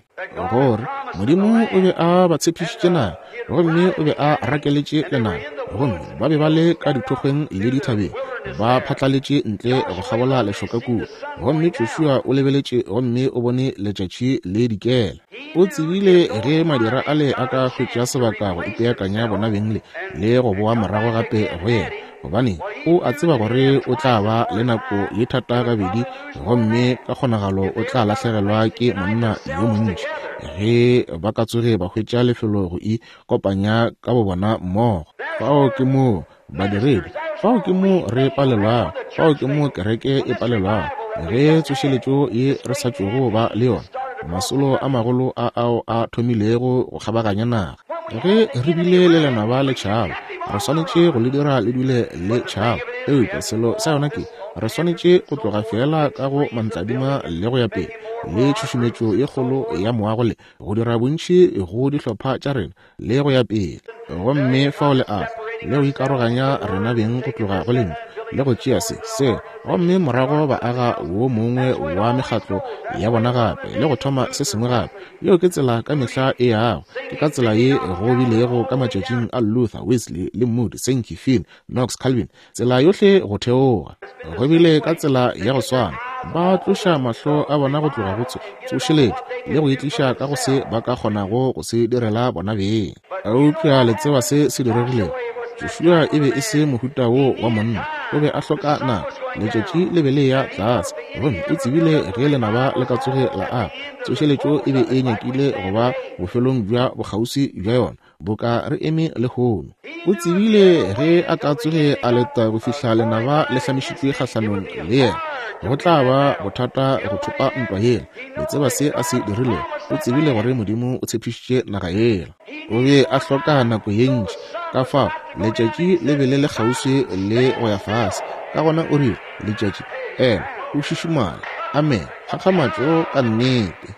gore Modimo o be a ba tshepišitše naga, gomme o be a rakeletše lenaba, gomme ba be ba le ka dithokgweng le dithabeng, ba phatlaletše ntle go kgabola lešoka kua. Gomme Joshua o lebeletše gomme o bone letšatši le dikela. O tsebile ge madira ale a ka hwetša sebaka go ipeakanya bona beng le, le go boa morago gape go yena, gobane o a tseba gore o tla ba le nako ye thata gabedi gomme ka kgonagalo o tla lahlegelwa ke monna yo montši ge ba ka tsoge ba hwetša lefelo go ikopanya ka bobona mmogo. Fao ke moo badiredi, fao ke moo re palelwago, fao ke moo kereke e palelwago, ge tsošeletšo ye re sa tšogo ba le yona, masolo a magolo a ao a thomilego go kgabaganya naga. Ge re bile le lenaba le tšhaba, re swanetše go le dira le dule le tšhaba. Eupša selo sa yona ke, re swanetše go tloga feela ka go mantladima le go ya pele, le tšhušumetšo ye kgolo ya moago le go dira bontši go dihlopha tša rena le go ya pele. Gomme fao le a le go ikaroganya rena beng go tloga go Lentšu, le go tšea se, se, gomme morago ba aga wo mongwe wa mekgatlo ya bona gape, le go thoma se sengwe gape. Yeo ke tsela ka mehla e yago. Ke ka tsela ye go bilego ka matšatšing a Luther, Wesley, le Moody, Sankey, Finn, Knox, Calvin, tsela yohle go theoga. Go bile ka tsela ya go swana. Ba tloša mahlo a bona go tloga go tsošeletšo le go itliša ka go se ba ka kgonago go se direla bona beng. Eupša le tseba se se diregilego? Joshua e be e se mohuta wo wa monna. O be a hloka nako. Letšatši le be le eya tlase, gomme o tsebile ge lenaba le ka tsoge la aga. Tsošeletšo e be e nyakile go ba bofelong bja bokgauswi bja yona, boka re eme lehono. O tsebile ge a ka tsoge a leta go fihla lenaba le hlamišitšwe kgahlanong le yena, go tla ba bothata go thopa ntwa yela. Le tseba se a se dirilego? O tsebile gore Modimo o tshepišitše naga yela. O be a hloka nako ye ntši, ka fao letšatši le be le le kgauswi le go ya fase. Ka gona o rile, Letšatši, ema, o šišimale. Amene. Kgakgamatšo ka nnete.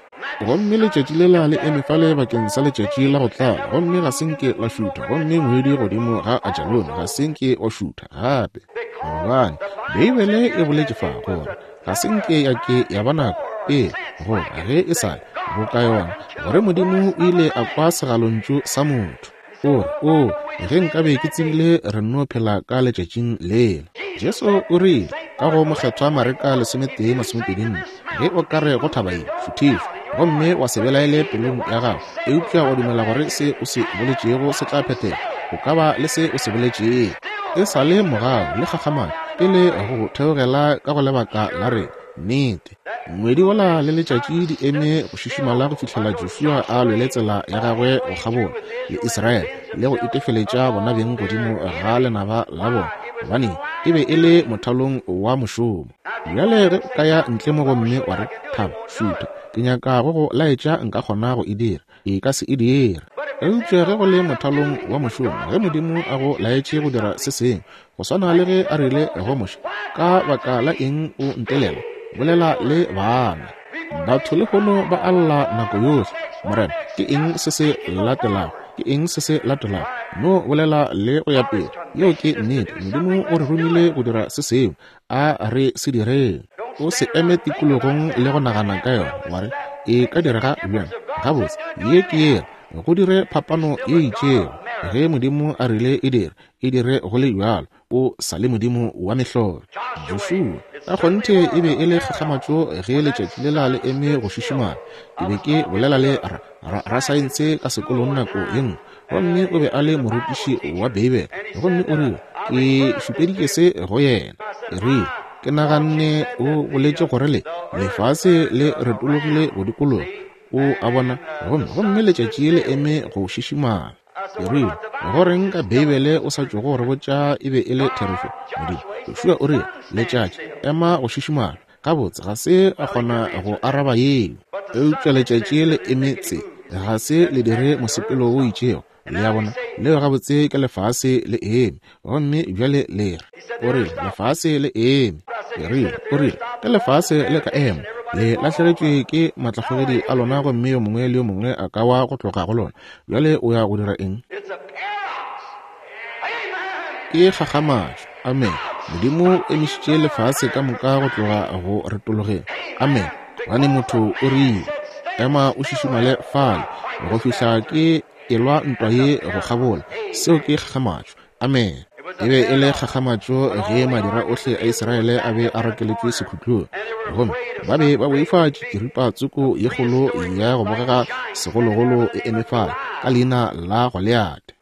Gomme letšatši lela le eme fale bakeng sa letšatši la go tlala, gomme ga se nke la šutha, gomme ngwedi godimo ga Ajalone ga se nke wa šutha gape. Gobane, Beibele e boletše fa gore ga se nke ya ke ya ba nako pele gore ge e sa le boka yona, gore Modimo o ile a kwa segalontšu sa motho. O re, Oo, ge nkabe ke tsebile re nno phela ka letšatšing lela. Jesu o rile, ka go Mokgethwa Mareka 11:24, Ge o ka re go thaba ye, šuthišwa, gomme wa se belaele pelong ya gago, eupša wa dumela gore se o se boletšego se tla phethega, O ka ba le se o se boletšego. E sa le mogau le kgakgamatšo pele go theogela ka go lebaka la rena. Nnete. Ngwedi wola le letšatši di eme go šišimala go fihlela Joshua a lwele tsela ya gagwe go kgabola le Israele le go itefeletša bona beng godimo ga lenaba la bona, gobane e be e le mothalong wa mošomo. Bjale ge o ka ya ntle mo gomme wa re, Thaba, šutha, ke nyaka go go laetša nka kgona go e dira. E ka se e dire. Eupša ge go le mothalong wa mošomo, ge Modimo a go laetše go dira se sengwe, go swana le ge a rile go Moshe, Ka baka la eng o ntelela? Bolela le bana. Batho lehono ba a lla nako yohle, Morena, ke eng se se latelago? Ke eng se se latelago? No bolela le go ya pele. Yeo ke nnete. Modimo o re romile go dira se sengwe. A re se direng. O se eme tikologong le go nagana ka yona, wa re, E ka direga bjang? Gabotse, ye ke yela. Go dire phapano ye itšego. Ge Modimo a rile e dire, e dire go le bjalo. O sa le Modimo wa mehlolo. Joshua, ka kgonthe e be e le kgakgamatšo ge letšatši lela le eme go šišimala. Ke be ke bolela le ra, ra, rasaense ka sekolong nako ye nngwe, gomme o be a le morutiši wa Beibele, gomme o rile, Ke šupeditše se go yena. Ke rile, Ke naganne o boletše gore le, lefase le retologile go dikologa, o a bona, gomme, gomme letšatši le eme go šišimala. Ke rile, Go reng ka Beibele o sa tšogo re botša e be e le therešo? Modimo, Joshua o rile, Letšatši, ema go šišimala. Gabotse, ga se a kgona go araba yeo. Eupša letšatši le eme tse, ga se le dire mosepelo wo itšego. Le a bona? Leo gabotse ke lefase le eme. Gomme bjale le re, o rile, lefase le eme. Ke rile, o rile, ge lefase le ka ema, le lahlegetšwe ke maatlakgogedi a lona gomme yo mongwe le yo mongwe a ka wa go tloga go lona. Bjale o ya go dira eng? Ke kgakgamatšo. Amen. Modimo o emišitše lefase ka moka go tloga go retologeng. Amen. Gobane motho o rile, Ema o šišimale fale go fihla ke elwa ntwa ye go kgabola. Seo ke kgakgamatšo. Amen. E be e le kgakgamatšo ge madira ohle a Israele a be a rakeletšwe sekhutlong, gomme ba be ba boifa tšitširipa tsoko ye kgolo ya go bogega segologolo e eme fale ka leina la Goliate.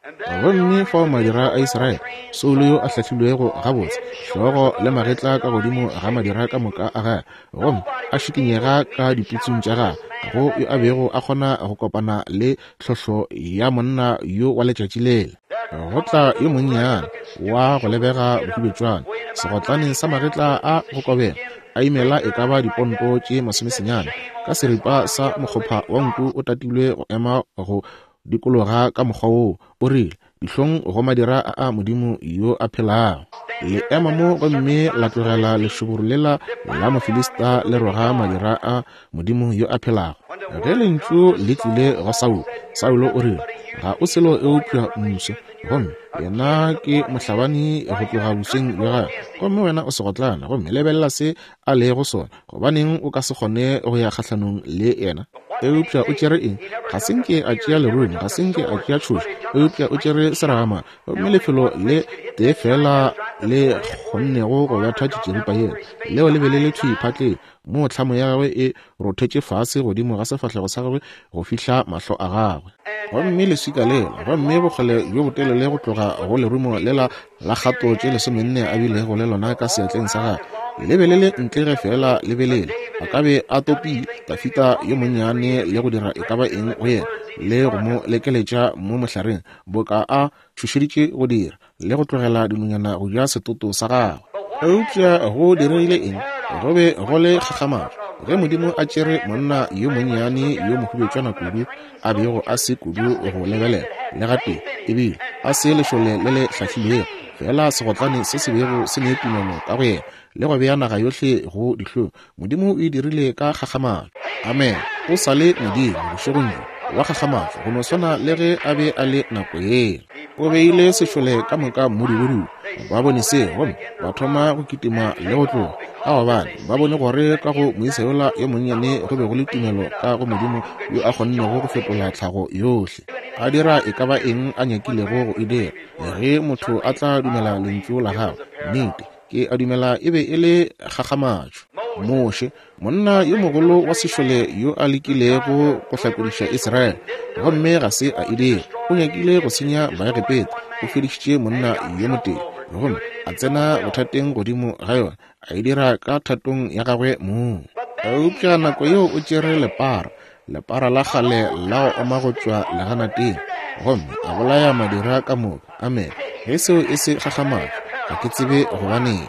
Gomme fao madira a Israele, Saulo yo a hlahlilwego gabotse, hlogo le magetla ka godimo ga madira ka moka a gagwe, gomme a šikinyega ka diputsung tša gagwe, ga go yo a bego a kgona go kopana le tlhohlo ya monna yo wa letšatši lela. Go tla yo monnyane wa go lebega bohubetšwana, segotlane sa magetla a go kobega, a imela e ka ba diponto tše masomesenyane, ka seripa sa mokgopha wa nku o tatilwe go ema go dikologa ka mokgwa woo, o rile, Dihlong go madira a a Modimo yo a phelago. Le ema mo gomme la tlogela lešoboro lela la Mofilista le roga madira a Modimo yo a phelago. Ge lentšu le tlile go Saulo, Saulo o rile, Ga o selo eupša mmuso, gomme yena ke mohlabani go tloga bosweng bja gagwe, gomme wena o segotlana, gomme lebelela se a lego sona. Gobaneng o ka se kgone go ya kgahlanong le yena? Eupša o tšere eng? Ga se nke a tšea lerumo, ga se nke a tšea tšhoša, eupša o tšere seragama. Gomme lefelo le tee feela le kgonnego go betha tšitširipa yela, leo le be le le thwi phatleng, moo tlhamo ya gagwe e rothetše fase godimo ga sefahlego sa gagwe go fihla mahlo a gagwe. Gomme leswika lela, gomme bokgole bjo botelele go tloga go lerumo lela la kgato tše lesomenne a bilego le lona ka seatleng sa gagwe, le be le le ntle ge feela le be lele. A ka be a topile Dafida yo monnyane le go dira e ka ba eng go yena, le go mo lekeletša mo mohlareng, boka a tšhošeditše go dira, le go tlogela dinonyana go ja setoto sa gagwe. Eupša go diregile eng? Go be go le kgakgamatšo ge Modimo a tšere monna yo monnyane yo mohubetšwana kudu, a bego a se kudu go lebelela le gatee, ebile a se lešole le le hlahlilwego, feela segotlane se se bego se ne tumelo ka go yena, le go bea naga yohle go dihlong. Modimo o e dirile ka kgakgamatšo. Amen. O sa le Modimo bošegong bjo, wa kgakgamatšo, go no swana le ge A be a le nako yela. O beile sešole ka moka mmudubudu. Ba bone seo gomme ba thoma go kitima le go tloga, ka gobane ba bone gore ka go moisa yola yo monnyane go be go le tumelo ka go Modimo yo a kgonnego go fetola tlhago yohle, a dira e ka ba eng a nyakilego go e dira, ge motho a tla dumela Lentšu la Gagwe. Nnete, ke a dumela e be e le kgakgamatšo. Moshe, monna yo mogolo wa sešole yo a lekilego go hlakodiša Israele, gomme ga se a e dira. O nyakile go senya Baegepeta, o fedišitše monna yo motee, gomme a tsena bothateng godimo ga yona, a e dira ka thatong ya gagwe mong. Eupša nako yeo o tšere lepara, lepara la kgale la go oma go tšwa leganateng, gomme a bolaya madira ka moka. Amene. Ge seo e se kgakgamatšo, ga ke tsebe gobaneng.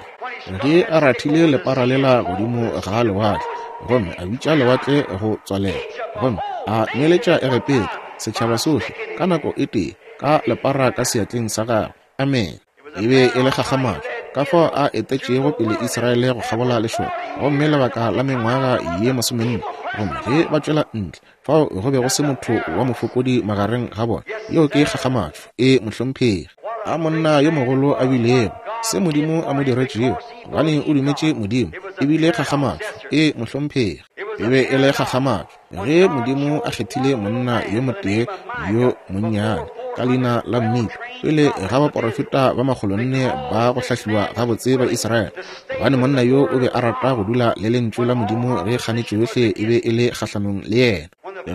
Ge a rathile lepara lela godimo ga lewatle, gomme a bitša lewatle go tswalela, gomme a nweletša Egepeta, setšhaba sohle, ka nako e tee, ka lepara ka seatleng sa gagwe. Amene. E be e le kgakgamatšo, ka fao a etetšego pele Israele go kgabola lešoka, gomme lebaka la mengwaga ye masomenne, gomme ge ba tšwela ntle, fao go be go se motho wa mofokodi magareng ga bona. Yeo ke kgakgamatšo, e mohlomphegi. A monna yo mogolo a bilego, se Modimo a mo diretšego, gobane o dumetše Modimo, e bile kgakgamatšo, e mohlomphegi. E be e le kgakgamatšo. Ge Modimo a kgethile monna yo motee yo monnyane ka leina la Mika pele ga baporofeta ba makgolonne ba go hlahliwa gabotse ba Israele, gobane monna yo o be a rata go dula le lentšu la Modimo ge kganetšo yohle e be e le kgahlanong le yena.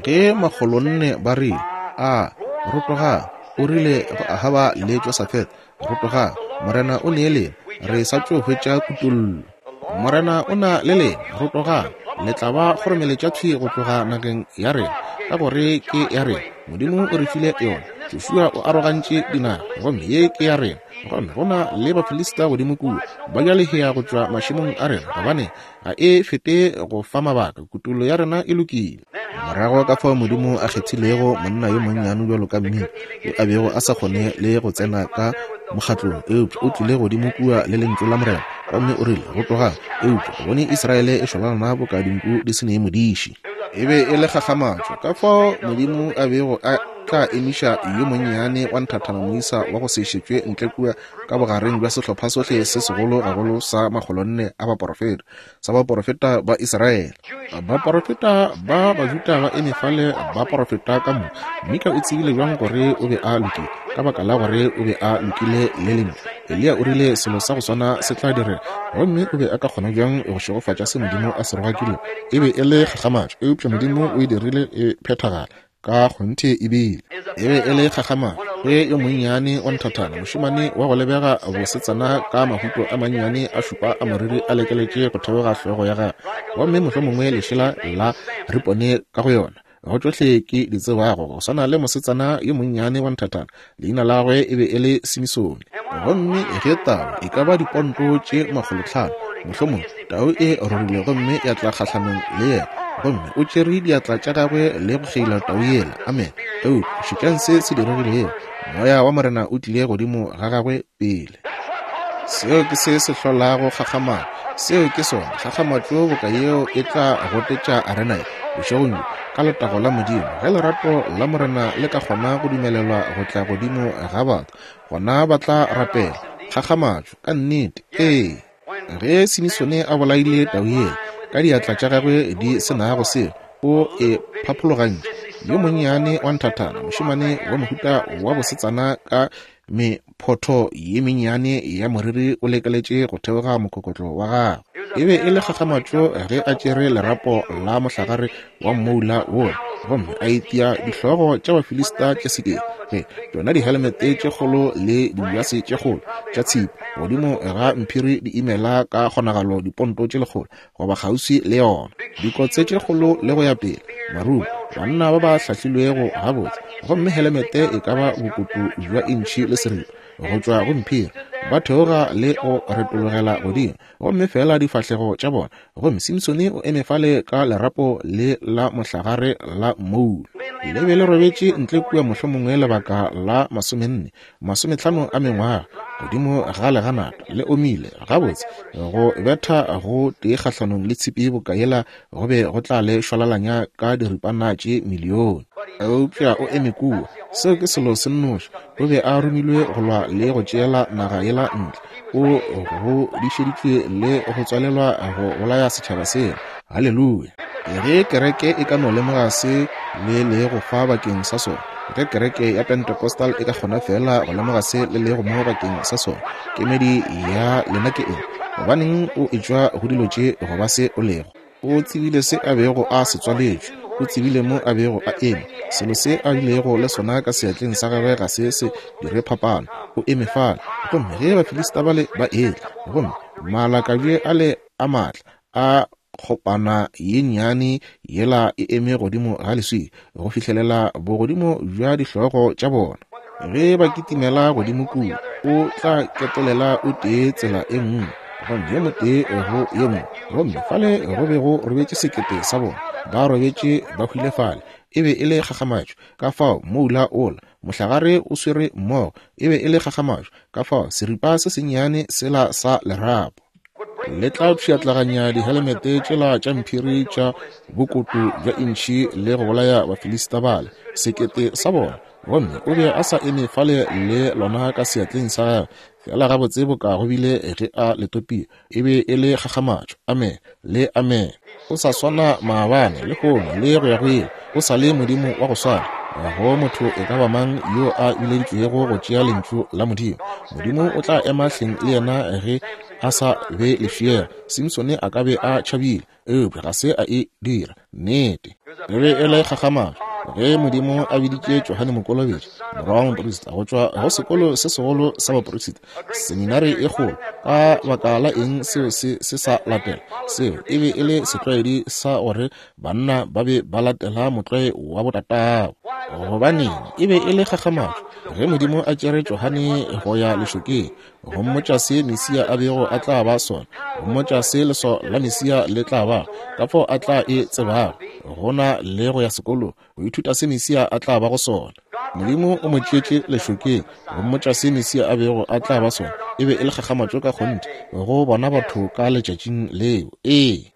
Ge makgolonne ba rile, A rotogang, o rile go Ahaba le Josafete, Rotogang, Morena o ne lena, re sa tšo hwetša kutollo. Morena o na le lena, rotogang, le tla ba kgoromeletša thwi go tloga nageng ya rena, ka gore ke ya rena. Modimo o re file yona. Joshua o arogantše dinaga, gomme ye ke ya rena. Gomme go na le Bafilista godimo kua, ba ja lehea go tšwa mašemong a rena, gobane ga e fete go fa mabaka, kutollo ya rena e lokile. Morago ka fao Modimo a kgethilego monna yo monnyane bjalo ka Mika, yo a bego a sa kgone le go tsena ka mokgatlong, eupša o tlile godimo kua le Lentšu la Morena, gomme o rile, Rotogang! Eupša o bone Israele e šwalalana boka dinku di se ne modiši. E be e le kgakgamatšo ka fao Modimo a bego a tla emiša yo monnyane wa nthathana moisa wa go se šetšwe ntle kua ka bogareng bja sehlopha sohle se segolo gagolo sa makgolonne a baporofeta, sa baporofeta ba Israele. Baporofeta ba Bajuda ba eme fale ba porofeta ka moka. Mika o tsebile bjang gore o be a lokile? Ka baka la gore o be a lokile le Lentšu. Eliya o rile selo sa go swana se tla direga, gomme o be a ka kgona bjang go šegofatša se Modimo a se rogakilego? E be e le kgakgamatšo, eupša Modimo o e dirile e phethagala. Ka kgonthe e bile. E be e le kgakgamatšo ge yo monnyane wa nthathana, mošemane wa go lebega bosetsana ka mahuto a mannyane a šupa a moriri a lekeletše go theoga hlogo ya gagwe, gomme mohlomongwe lešela la ripone ka go yona, go tšohle ke di tsebago, go swana le mosetsana yo monnyane wa nthathana, leina la gagwe e be e le Simisone. Gomme ge tau, e ka ba diponto tše makgolotlhano, mohlomongwe, tau e rorile gomme ya tla kgahlanong le yena, gomme o tšere diatla tša gagwe le go kgeila tau yela. Amene. Eupša šetšang se se diregilego. Moya wa Morena o tlile godimo ga gagwe pele. Seo ke se se hlolago kgakgamatšo. Seo ke sona. Kgakgamatšo boka yeo e tla gotetša arena ye, bošegong bjo, ka letago la Modimo. Ge lerato la Morena le ka kgona go dumelelwa go tla godimo ga batho, gona ba tla rapela. Kgakgamatšo, ka nnete. Ee. Ge Simisone a bolaile tau yela, ka diatla tša gagwe di se nago selo, o e phaphologantše. Yo monnyane wa nthathana, mošemane wa mohuta wa bosetsana ka mephotho ye mennyane ya moriri o lekeletše go theoga mokokotlo wa gagwe. E be e le kgakgamatšo ge a tšere lerapo la mohlagare wa mmoula wola gomme a itia dihlogo tša Bafilista tše sekete, ge tšona dihelmete tše kgolo le dibjase tše kgolo tša tshipi godimo ga mphiri di imela ka kgonagalo diponto tše lekgolo goba kgauswi le yona, dikotse tše kgolo le go ya pele, marumo, banna ba ba hlahlilwego gabotse, gomme helemete e ka ba bokoto bja intšhi le seripa go tšwa go mphiri, ba theoga le go retologela godimo, gomme feela difahlego tša bona, gomme Simsone o eme fale ka lerapo le la mohlagare la mmoula, le be le robetše ntle kua mohlomongwe lebaka la masomenne, masometlhano a mengwaga, godimo ga leganata, le omile gabotse, go betha go tee kgahlanong le tshipi boka yela go be go tla le šwalalanya ka diripana tše milione. Eupša o eme kua, seo ke selo se nnoši, o be a romilwe go lwa le go tšeela naga yela ntle, o godišeditšwe le go tswalelwa go bolaya setšhaba sela. Haleluya! Ge kereke e ka no lemoga se le lego fa bakeng sa sona! Ge kereke ya Pentecostal e ka kgona feela go lemoga se le lego mo bakeng sa sona, kemedi ya lena ke eng? Gobaneng o etšwa go dilo tše go ba se o lego? O tsebile se a bego a se tswaletšwe. O tsebile mo a bego a eme. Selo se a bilego le sona ka seatleng sa gagwe ga se se dire phapano. O eme fale. Gomme ge Bafilista bale ba etla, gomme malakabje ale a maatla a kgopana ye nnyane yela e eme godimo ga leswika go fihlelela bogodimo bja dihlogo tša bona. Ge ba kitimela godimo kua, o tla ketolela o tee tsela e nngwe, gomme yo motee go ye nngwe, gomme fale go be go robetše sekete sa bona, ba robetše ba hwile fale. E be e le kgakgamatšo, ka fao moula ola, mohlagare o swere mmogo, e be e le kgakgamatšo, ka fao seripa se sennyane sela sa lerapo. Le tla pšhatlaganya dihelemete tšela tša mphiri tša bokoto bja intšhi le go bolaya Bafilista bale, sekete sa bona. Gomme o be a sa eme fale le lona ka seatleng sa gagwe, feela gabotse boka go bile ge a le topile. E be e le kgakgamatšo. Amen le amen. O sa swana maabane, lehono, le go ya go ile. O sa le Modimo wa go swana. Ga go motho e ka ba mang yo a bileditšwego go tšea Lentšu la Modimo. Modimo o tla ema hleng le yena ge a sa be lefšega. Simsone a ka be a tšhabile, eupša ga se a e dira. Nnete. E be e le kgakgamatšo ge Modimo a biditše Johane Mokolobetši, morwa wa moprista, go tšwa go sekolo se segolo sa baprista, seminari e kgolo. Ka baka la eng seo se se sa latela? Seo e be e le setlwaedi sa gore banna ba be ba latela motlwae wa botatabo. Gobaneng, e be e le kgakgamatšo ge Modimo a tšere Johane go ya lešokeng go mmotša se Mesia a bego a tla ba sona, go mmotša se leswao la Mesia le tla ba, ka fao a tla e tsebago, go na le go ya sekolong go ithuta se Mesia a tla bago sona. Modimo o mo tšeetše lešokeng go mmotša se Mesia a bego a tla ba sona. E be e le kgakgamatšo ka kgonthe go bona batho ka letšatšing leo. Ee.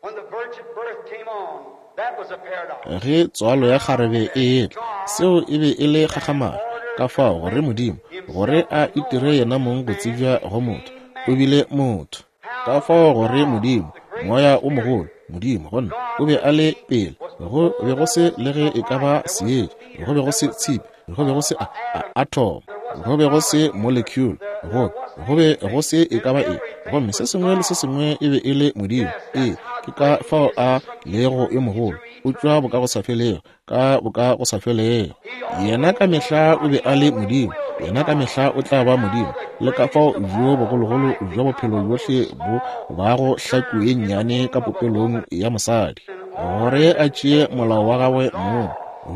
Ge tswalo ya kgarebe e etla, seo e be e le kgakgamatšo, ka fao gore Modimo, gore a itire yena mong go tsebja go motho, o bile motho. Ka fao gore Modimo, Moya o mogolo, Modimo, gonne O be a le pele, go be go se le ge e ka ba seetša, go be go se tshipi, go be go se a, a atom, go be go se molecule, go, go be go se e ka ba eng, gomme se sengwe le se sengwe e be e le Modimo. Ee, ke ka fao A lego yo mogolo, o tšwa bokagosafelego, ka bokagosafelego. Yena ka mehla o be a le Modimo, Yena ka mehla o tla ba Modimo, le ka fao bjo bogologolo bja bophelo bjohle bo bago hlaku ye nnyane ka popelong ya mosadi, gore a tšee molao wa gagwe mong,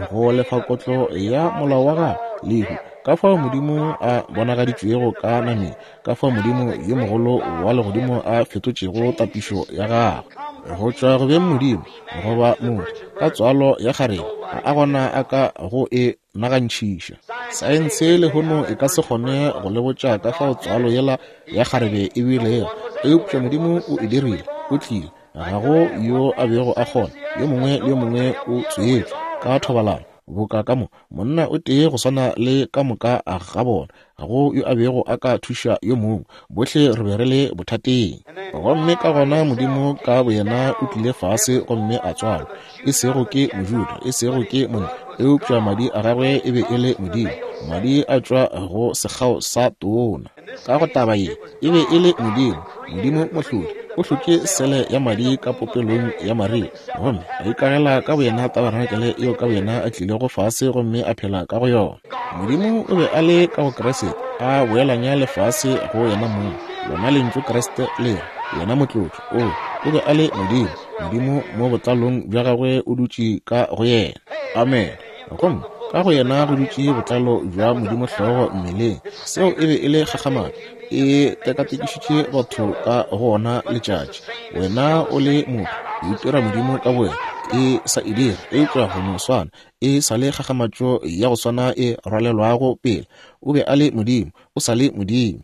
go lefa kotlo ya molao wa gagwe, lehu. Ka fao Modimo a bonagaditšwego ka nameng, ka fao Modimo yo mogolo wa legodimo a fetotšego tapišo ya gagwe go tšwa go beng Modimo goba motho ka tswalo ya kgarebe, ga a gona a ka go e nagantšhiša. Saense lehono e ka se kgone go le botša ka fao tswalo yela ya kgarebe e bilego, eupša Modimo o e dirile, o tlile. Ga go yo a bego a kgona, yo mongwe le yo mongwe o tswetšwe ka thobalano, boka ka mo, monna o tee go swana le ka moka ga bona, ga go yo a bego a ka thuša yo mongwe, bohle re be re le bothateng. Gomme ka gona Modimo ka boyena o tlile fase gomme a tswalwa, e sego ke Mojuda, e sego ke monna, eupša madi a gagwe e be e le Modimo, madi a tšwa go sekgao sa tona. Ka go taba ye, e be e le Modimo, Modimo Mohlodi, o hlotše sele ya madi ka popelong ya Maria, gomme a ikagela ka boyena tabarenakele yeo ka boyena a tlilego fase gomme a phela ka go yona. Modimo o be a le ka go Kriste, a boelanya lefase go yena mong. Lona lentšu Kriste le re, yena motlotšwa. O, o be a le Modimo, Modimo mo botlalong bja gagwe o dutše ka go yena. Amen. Gomme ka go yena go dutše botlalo bja Modimo hlogo mmeleng. Seo e be e le kgakgamatšo, e tekatekišitše batho ka go ona letšatši. Wena o le motho, o itira Modimo ka bowena, e sa e dira, eupša go no swana, e sa le kgakgamatšo ya go swana e rwalelwago pele. O be a le Modimo, o sa le Modimo.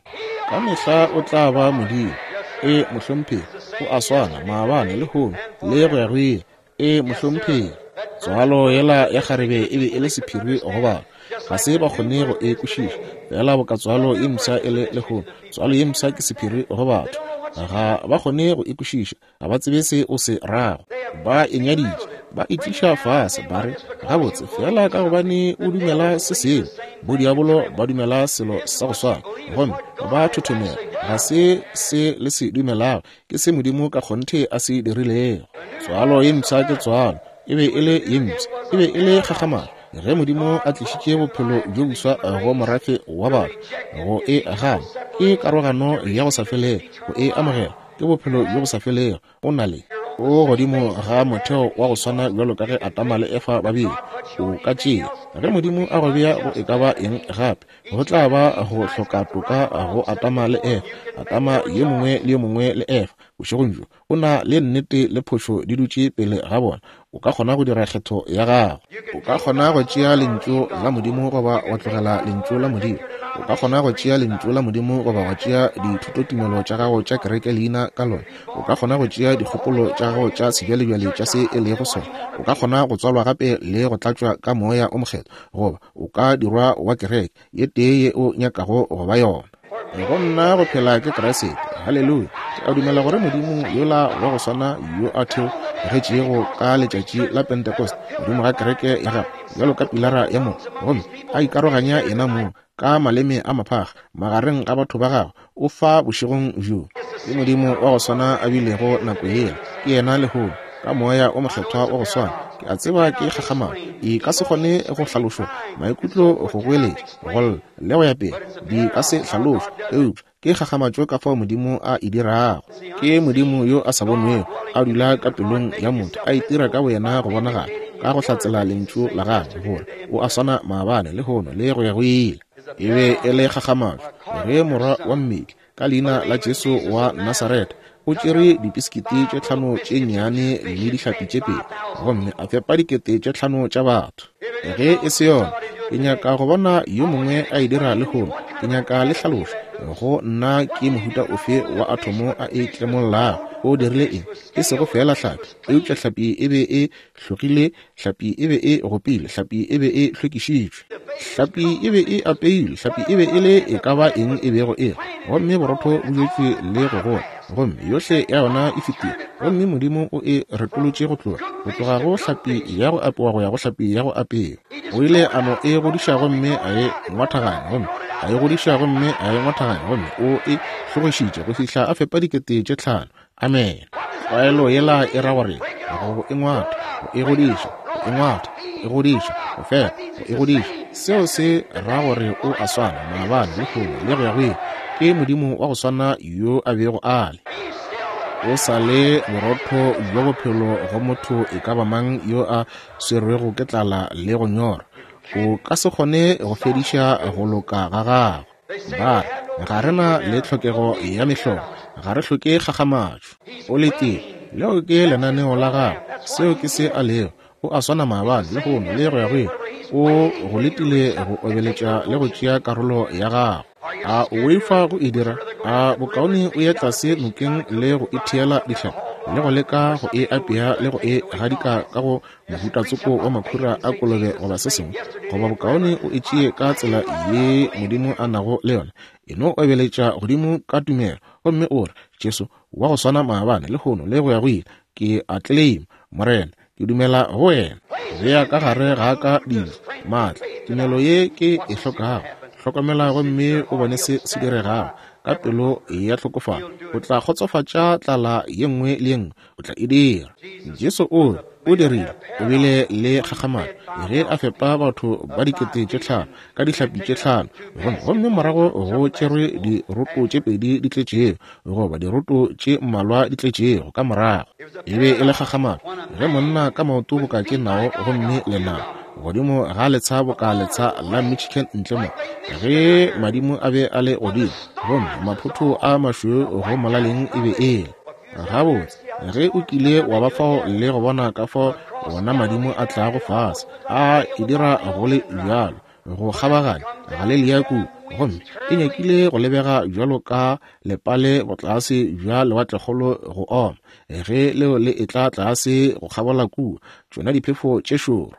Ka mehla o tla ba Modimo. E, mohlomphegi, o a swana maabane, lehono, le go ya go ile. E, mohlomphegi. Tswalo yela ya kgarebe e be e le sephiri go batho. Ga se ba kgone go e kwešiša. Feela boka tswalo ye mpsha e le lehono. Tswalo ye mpsha ke sephiri go batho. Ga ba kgone go e kwešiša. Ga ba tsebe se o se rago. Ba e nyaditše. Ba e tliša fase, ba re, Gabotse, feela ka gobane o dumela se sengwe, bodiabolo ba dumela selo sa go swana, gomme ba thothomela. Ga se se le se dumelago, ke se Modimo ka kgonthe a se dirilego. Tswalo ye mpsha ke tswalo. E be e le ye mpsha. E be e le kgakgamatšo ge Modimo a tlišitše bophelo bjo boswa go morafe wa batho. Go e gana ke karogano ya go sa felego, go e amogela ke bophelo bjo bo sa felego. O na le o godimo ga motheo wa go swana bjalo ka ge Adama le Efa ba bile. O ka tšea ge Modimo a go bea go e ka ba eng gape, go tla ba go hloka toka go Adama le Efa. Adama yo mongwe le yo mongwe le Efa bošegong bjo o na le nnete le phošo di dutše pele ga bona. O ka kgona go dira kgetho ya gago. O ka kgona go tšea Lentšu la Modimo goba wa tlogela Lentšu la Modimo. O ka kgona go tšea Lentšu la Modimo goba wa tšea dithutotumelo tša gago tša kereke leina ka lona. O ka kgona go tšea dikgopolo tša gago tša sebjalebjale tša se e lego sona. O ka kgona go tswalwa gape le go tlatšwa ka Moya o Mokgethwa, goba o ka dirwa wa kereke ye tee ye o nyakago go ba yona. Go nna go phela ke Kriste. Haleluya! Ke a dumela gore Modimo yola wa go swana yo a theogetšego ka letšatši la Pentecost godimo ga kereke ya gagwe bjalo ka pilara ya mollo, gomme a ikaroganya yenamong ka maleme a maphakga magareng ga batho ba gagwe, o fa bošegong bjo. Ke Modimo wa go swana a bilego nako yela, ke yena lehono, ka Moya o Mokgethwa wa go swana. Ke a tseba ke kgakgamalo, e ka se kgone go hlalošwa, maikutlo go goeletša, go lla, le go ya pele, di ka se hlalošwe, eupša ke kgakgamatšo ka fao Modimo a e dirago. Ke Modimo yo a sa bonwego, a dula ka pelong ya motho, a itira ka boyena go bonagala, ka go hlatsela Lentšu la Gagwe, gore O a swana maabane, lehono, le go ya go ile. E be e le kgakgamatšo ge morwa wa mmetli, ka leina la Jesu wa Nasaretha, o tšere dipisikiti tše tlhano tše nnyane le dihlapi tše pedi, gomme a fepa 5000 tša batho. Ge e se yona, ke nyaka go bona yo mongwe a e dira lehono. Ke nyaka le hlalošo go nna ke mohuta ofe wa athomo a e tlemollago. O dirile eng? E sego feela hlapi, eupša hlapi e be e hlogile, hlapi e be e gopile, hlapi e be e hlwekišitšwe, hlapi e be e apeilwe, hlapi e be e le e ka ba eng e bego e, gomme borotho bo jetšwe le go gola, gomme yohle ya yona e fetile, gomme Modimo o e retolotše go tloga, go tloga go hlapi ya go apewa go ya go hlapi ya go apewa. O ile a no e godiša gomme a e ngwathaganya, gomme a e godiša gomme a e ngwathaganya, gomme o e hlogišitše go fihla a fepa 5000. Amene. Tlwaelo yela e ra gore go e ngwatha, go e godiša, go e ngwatha, go e godiša, go fepa, go e godiša. Seo se ra gore o a swana maabane, lehono, le go ya go ile. Ke Modimo wa go swana yo a bego a le. O sa le borotho bja bophelo go motho e ka ba mang yo a swerwego ke tlala le go nyorwa. O ka se kgone go fediša go loka ga gagwe. Ba re, Ga re na le tlhokego ya mehlolo. Ga re hloke kgakgamatšo. O letile. Leo ke lenaneo la gagwe. Seo ke se a lego. O a swana maabane, lehono, le go ya go ile. O go letile go obeletša le go tšea karolo ya gago. A o boifa go e dira? A bokaone o ye tlase nokeng le go itheela dihlapi, le go leka go e apea le go e gadika ka go mohuta tsoko wa makhura a kolobe goba se sengwe, goba bokaone o e tšee ka tsela ye Modimo a nago le yona. E no obeletša godimo ka tumelo, gomme o re, Jesu, wa go swana maabane, lehono, le go ya go ile, ke a tleleima, Morena, ke dumela go wena. Bea ka gare ga ka dilo, maatla, tumelo ye ke e hlokago. Hlokomela gomme o bone se se diregago. Ka pelo ya tlhokofalo, o tla kgotsofatša tlala ye nngwe le ye nngwe. O tla e dira. Jesu o o dirile, o bile le kgakgamalo ge a fepa batho ba 5000 ka dihlapi tše tlhano, gomme morago go tšerwe diroto tše pedi di tletšego, goba diroto tše mmalwa di tletšego ka morago. E be e le kgakgamalo ge monna ka maoto boka ke nao gomme lenao godimo ga letsha boka letsha la Michigan ntle mo, ge madimo a be a le godimo gomme maphotho a mašweu go molaleng e be e le. Gabotse, ge o kile wa ba fao le go bona ka fao wona madimo a tlago fase, a e dira go le bjalo, go kgabaganya Galelia kua, gomme e nyakile go lebega bjalo ka lepale botlase bja lewatlekgolo go oma, ge leo le etla tlase go kgabola kua, tšona diphefo tše šoro,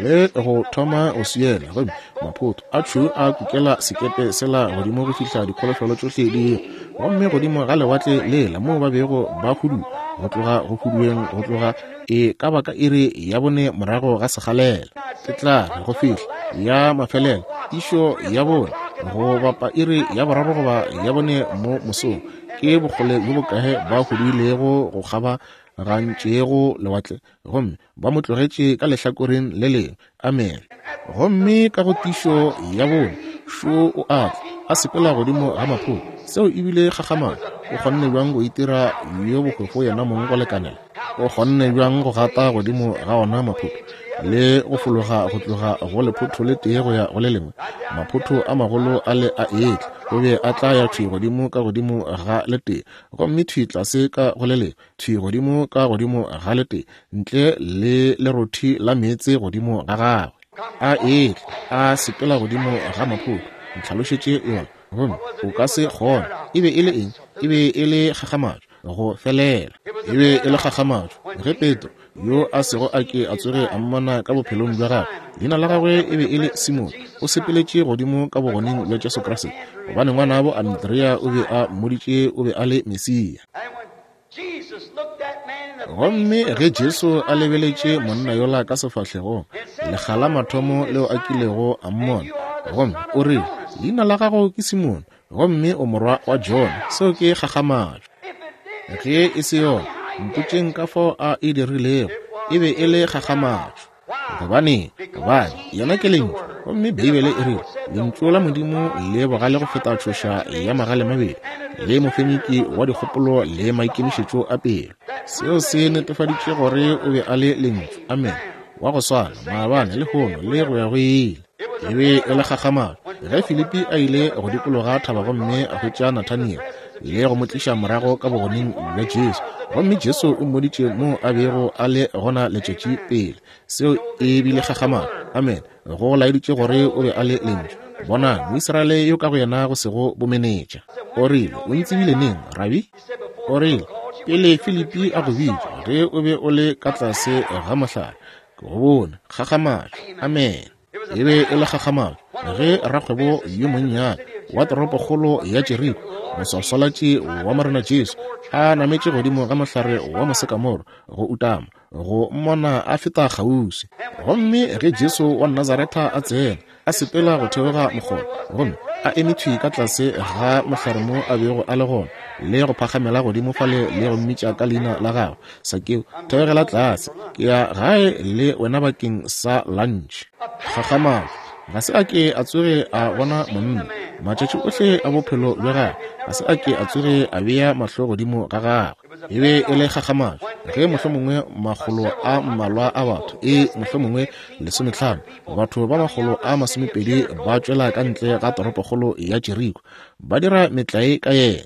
le go thoma go swiela, gomme maphoto a tšhweu a kukela sekepe sela godimo go fihla dikholofelo tšohle di, gomme godimo ga lewatle lela moo ba bego ba huduwa. go tloga go hudueng go tloga e ka ba ka iri ya 4 morago ga sekgalela. Ke tla re go fihla ya mafelelo tišo ya 4 go bapa iri ya 3 goba ya 4 mo mosong. Ke bokgole bjo bokae ba huduilego go kgabagantšego lewatle, gomme ba mo tlogetše ka lehlakoreng le lengwe. Amen. Gomme ka go tišo ya 4 šo o a tla, a sepela godimo ga maphoto. Seo ebile kgakgamatšo. O kgonne bjang go itira yo bohwefo yena mong go lekanela? O kgonne bjang go gata godimo ga ona maphoto le go fologa go tloga go lephotho le tee go ya go le lengwe? Maphoto a magolo a le a etla, o be a tla ya thwi godimo ka godimo ga le tee, gomme thwi tlase ka go le lengwe, thwi godimo ka godimo ga le tee, ntle le lerothi la meetse godimo ga gagwe. A etla, a sepela godimo ga maphoto. Ntlhalošetše yona, gomme o ka se kgone. E be e le eng? E be e le kgakgamatšo go felela. E be e le kgakgamatšo ge Petro, yo a sego a ke a tsoge a mmona ka bophelong bja gagwe, leina la gagwe e be e le Simone, o sepeletše godimo ka bogoneng bja Jesu Kriste, gobane ngwanabo Andrea o be a mmoditše o be a le Mesia. Gomme ge Jesu a lebeletše monna yola ka sefahlegong, lekga la mathomo leo a kilego a mmona, gomme o rile, leina la gago ke Simone, gomme o morwa wa Jona. Seo ke kgakgamatšo. Ge e se yona, mpotšeng ka fao a e dirilego. E be e le kgakgamatšo. Gobane, gobane yena ke Lentšu, gomme Beibele e rile, Lentšu la Modimo le bogale go feta tšhoša ya magale mabedi, le mofenyiki wa dikgopolo le maikemišetšo a pelo. Seo se netefaditše gore o be a le Lentšu. Amen. Wa go swana maabane, lehono, le go ya go ile. E be e le kgakgamatšo ge Filipi a ile go dikologa thaba gomme a hwetša Nathaniel le go mo tliša morago ka bogoneng bja Jesu, gomme Jesu o mmoditše moo a bego a le gona letšatši pele. Seo e bile kgakgamatšo. Amen. Go laeditše gore o be a le Lentšu. Bonang Moisraele yo ka go yena go sego bomenetša. O rile, o ntsebile neng, Rabi? O rile, pele Filipi a go bitša, ge o be o le ka tlase ga mohlare, ke go bone. Kgakgamatšo. Amen. E be e le kgakgamatšo ge rakgwebo yo monnyane wa toropokgolo ya Jeriko, moswaswalatši wa Morena Jesu, a nametše godimo ga mohlare wa mosekamoro go utama go mmona a feta kgauswi. Gomme ge Jesu wa Nazaretha a tsena, a sepela go theoga mokgoba, gomme a eme thwi ka tlase ga mohlare mo a bego a le gona, le go phagamela godimo fale le go mmitša ka leina la gagwe, Sakeo, theogela tlase, ke ya gae le wena bakeng sa lunch. Kgakgamatšo. Ga se a ke a tsoge a bona monna matšatši ohle a bophelo bja gagwe, ga se a ke a tsoge a bea mahlo godimo ga gagwe. E be e le kgakgamatšo ge mohlomongwe makgolo a mmalwa a batho, e mohlomongwe 15, batho ba 120 ba tšwela ka ntle ga toropokgolo ya Jeriko, ba dira metlae ka yena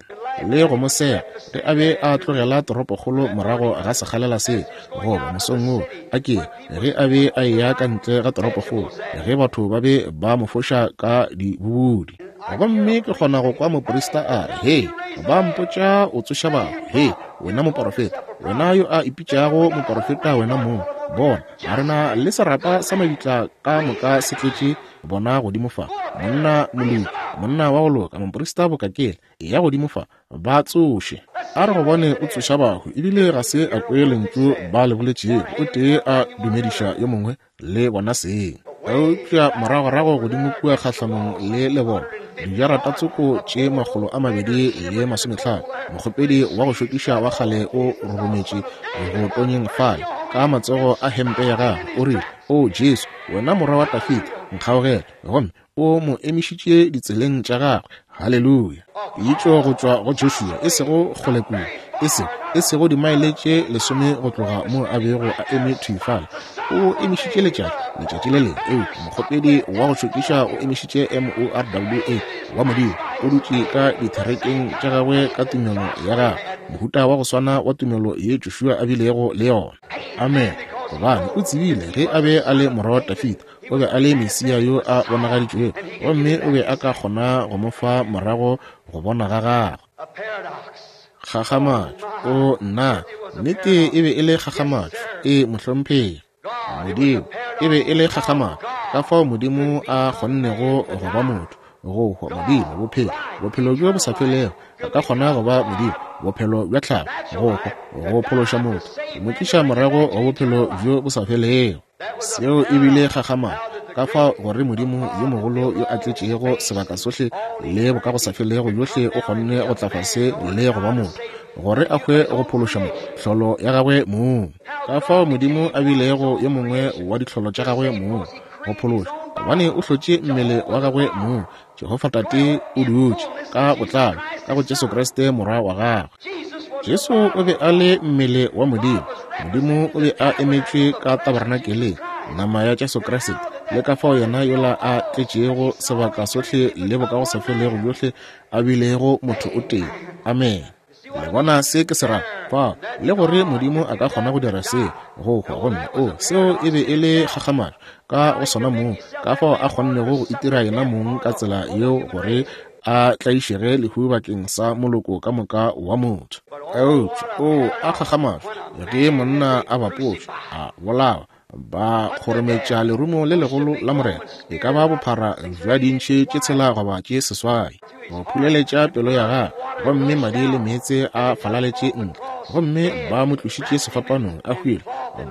le go mo sega ge a be a tlogela toropokgolo morago ga sekgalela se, goba mosong wo a ke ge a be a eya ka ntle ga toropokgolo, ge batho ba be ba mo foša ka dibubudi. Gomme ke kgona go kwa moprista a re, Hei, ba mpotša o tsoša batho. Hei, wena moporofeta, wena yo a ipitšago moporofeta wena mong, bona, a rena le serapa sa mabitla ka moka se tletše bona godimo fa. Monna moloki, monna wa go loka, moprista bokakele, eya godimo fa, ba tsoše. A re go bone o tsoša bahu, ebile ga se a kwe lentšu ba le boletšego, o tee a dumediša yo mongwe le bona seng. Eupša moragorago godimo kua kgahlanong le lebona, dijarata tsoko tše 250, mokgopedi wa go šokiša wa kgale o rorometše go tonyeng fale ka matsogo a hempe ya gagwe, o rile, O Jesu, wena morwa wa Dafida, nkgaogele. Gomme o mo emišitše ditseleng tša gagwe. Haleluya! Pitšo go tšwa go Joshua, e sego kgole kua, e sego dimaele tše 10 go tloga mo a bego a eme thwi fale. O emišitše letšatši, letšatši le lengwe. Eupša mokgopedi wa go šokiša o emišitše M-O-R-W-A wa Modimo, o dutše ka ditherekeng tša gagwe ka tumelo ya gagwe, mohuta wa go swana wa tumelo ye Joshua a bilego le yona. Amen. Gobane o tsebile ge a be a le morwa wa Dafida, o be a le Mesia yo a bonagaditšwego, gomme o be a ka kgona go mo fa morago go bona ga gagwe. Kgakgamatšo. O nna, nnete e be e le kgakgamatšo. E, mohlomphegi. Modimo, e be e le kgakgamatšo. Ka fao Modimo a kgonnego go ba motho, go hwa, Modimo, bophelo, bophelo bjo bo sa felego, a ka kgona go ba Modimo. Bophelo bja tlhago, go hwa, go phološa motho, go mo tliša morago go bophelo bjo bo sa felego. Seo e bile kgakgamatšo, ka fao gore Modimo yo mogolo yo a tletšego sebaka sohle le bokagosafelego bjohle o kgonne go tla fase le go ba motho, gore a hwe go phološa mo, hlolo ya gagwe mong. Ka fao Modimo a bilego yo mongwe wa dihlolo tša gagwe mong, go phološa, gobane o hlotše mmele wa gagwe mong. Jehofa Tate o dutše ka botlalo ka go Jesu Kriste Morwa wa gagwe. Jesu o be a le mmele wa Modimo. Modimo o be a emetšwe ka tabernakeleng, nama ya Jesu Kriste, le ka fao yena yola a tletšego sebaka sohle le bokagosafelego bjohle a bilego motho o tee. Amene. Le bona se ke se ra? Fao, le gore Modimo a ka kgona go dira se, go hwa, gomme, o, seo e be e le kgakgamatšo ka go sona mong, ka fao a kgonnego go itira yena mong ka tsela yeo gore a tlaišege lehu bakeng sa moloko ka moka wa motho. Eupša, o, a kgakgamatšo, ge monna a bapotšwe, a bolawa, ba kgorometša lerumo le legolo la Morena, e ka ba bophara bja diintšhi tše tshela goba tše seswai, go phuleletša pelo ya gagwe, gomme madi le meetse a falaletše ntle. Gomme ba mo tlošitše sefapanong a hwile,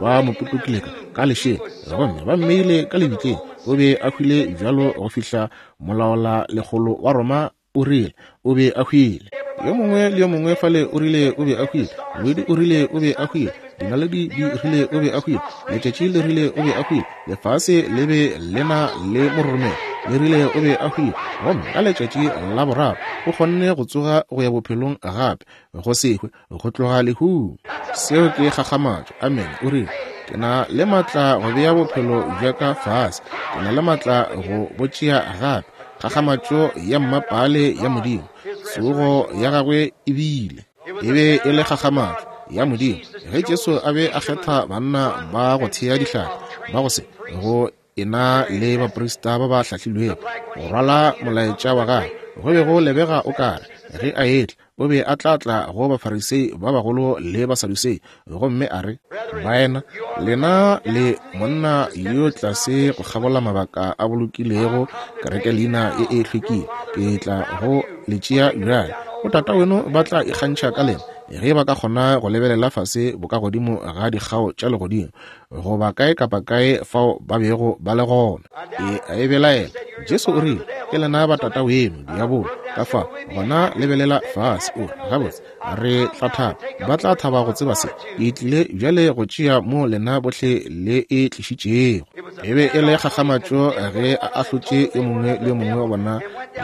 ba mo potokile ka lešela, gomme ba mmeile ka lebitleng. O be a hwile bjalo go fihla molaola lekgolo wa Roma o rile o be a hwile. Yo mongwe le yo mongwe fale o rile o be a hwile. Ngwedi o rile o be a hwile. Dinaledi di rile o be a hwile. Letšatši le rile o be a hwile. Lefase le be le na le mororomelo, le rile o be a hwile. Gomme ka letšatši la boraro o kgonne go tsoga go ya bophelong gape, go se hwe, go tloga lehung. Seo ke kgakgamatšo. Amene. O rile, Ke na le maatla go bea bophelo bja ka fase. Ke na le maatla go bo tšea gape. Kgakgamatšo ya mmapaale ya Modimo. Tsogo ya gagwe e bile. E be e le kgakgamatšo ya Modimo ge Jesu a be a kgetha banna ba go thea dihlapi ba go se go e-na le baprista ba ba hlahlilwego go rwala molaetša wa gagwe. Go be go lebega o ka re ge a etla o be a tla tla go Bafarisei ba bagolo le Basadusei gomme a re, Baena, lena le monna yo tlase go kgabola mabaka a bolokilego kereke leina e e hlwekile. Ke tla go le tšea bjale. Botataweno ba tla ikgantšha ka lena ge ba ka kgona go lebelela fase bokagodimo ga dikgao tša legodimo goba kae kapa kae fao ba bego ba le gona. E a e belaela. Jesu o rile, Ke lena ba tata weno, diabolo. Ka fa, gona lebelela fase. O re, Gabotse, re tla thaba. Ba tla thaba go tseba se. Ke tlile bjale go tšea mo lena bohle le e tlišitšego. E be e le kgakgamatšo ge a ahlotše yo mongwe le yo mongwe wa bona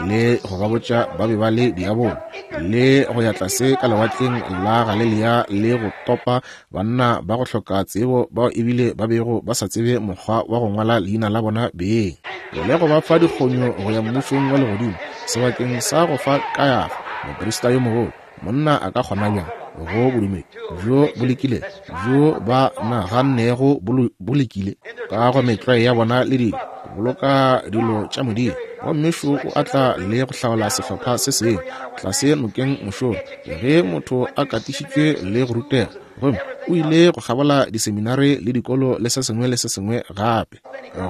le go ba botša ba be ba le diabolo, le go ya tlase ka lewatleng la Galilea le go topa Banna ba go hloka tsebo bao ebile ba bego ba sa tsebe mokgwa wa go ngwala leina la bona beng, le go ba fa dikgonyo go ya mmušong wa legodimo sebakeng sa go fa Kayafa, moprista yo mogolo. Monna a ka kgona bjang go bodumedi bjo bo lekile bjo ba nagannego bo lekile ka go metlwae ya bona le dilo, go boloka dilo tša Modimo, gomme šo o a tla le go hlaola sehlopha se sengwe tlase nokeng mošola. Ge motho a katišitšwe le go rutega, gomme o ile go kgabola diseminare le dikolo le se sengwe le se sengwe gape,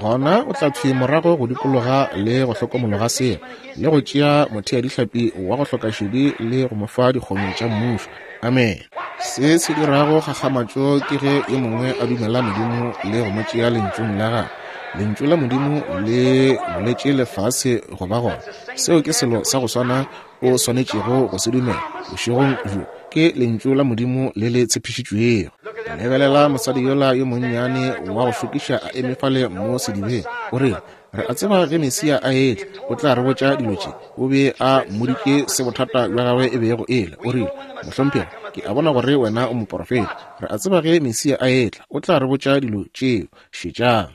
gona o tla thwi morago go dikologa le go hlokomologa seo, le go tšea motheadihlapi wa go hloka šedi le go mo fa dikgonyo tša mmušo. Amene. Se se dirago kgakgamatšo ke ge yo mongwe a dumela Modimo le go mo tšea Lentšung la Gagwe. Lentšu la Modimo le boletše lefase go ba gona. Seo ke selo sa go swana o swanetšego go se dumela bošegong bjo, ke Lentšu la Modimo le le tshepišitšwego. Lebelela mosadi yola yo monnyane wa go šokiša a eme fale mo sedibeng. O rile, Re a tseba ge Mesia a etla, o tla re botša dilo tše. O be a mmoditše se bothata bja gagwe e bego e le. O rile, Mohlomphegi, ke a bona gore wena o moporofeta. Re a tseba ge Mesia a etla, o tla re botša dilo tšeo. Šetšang.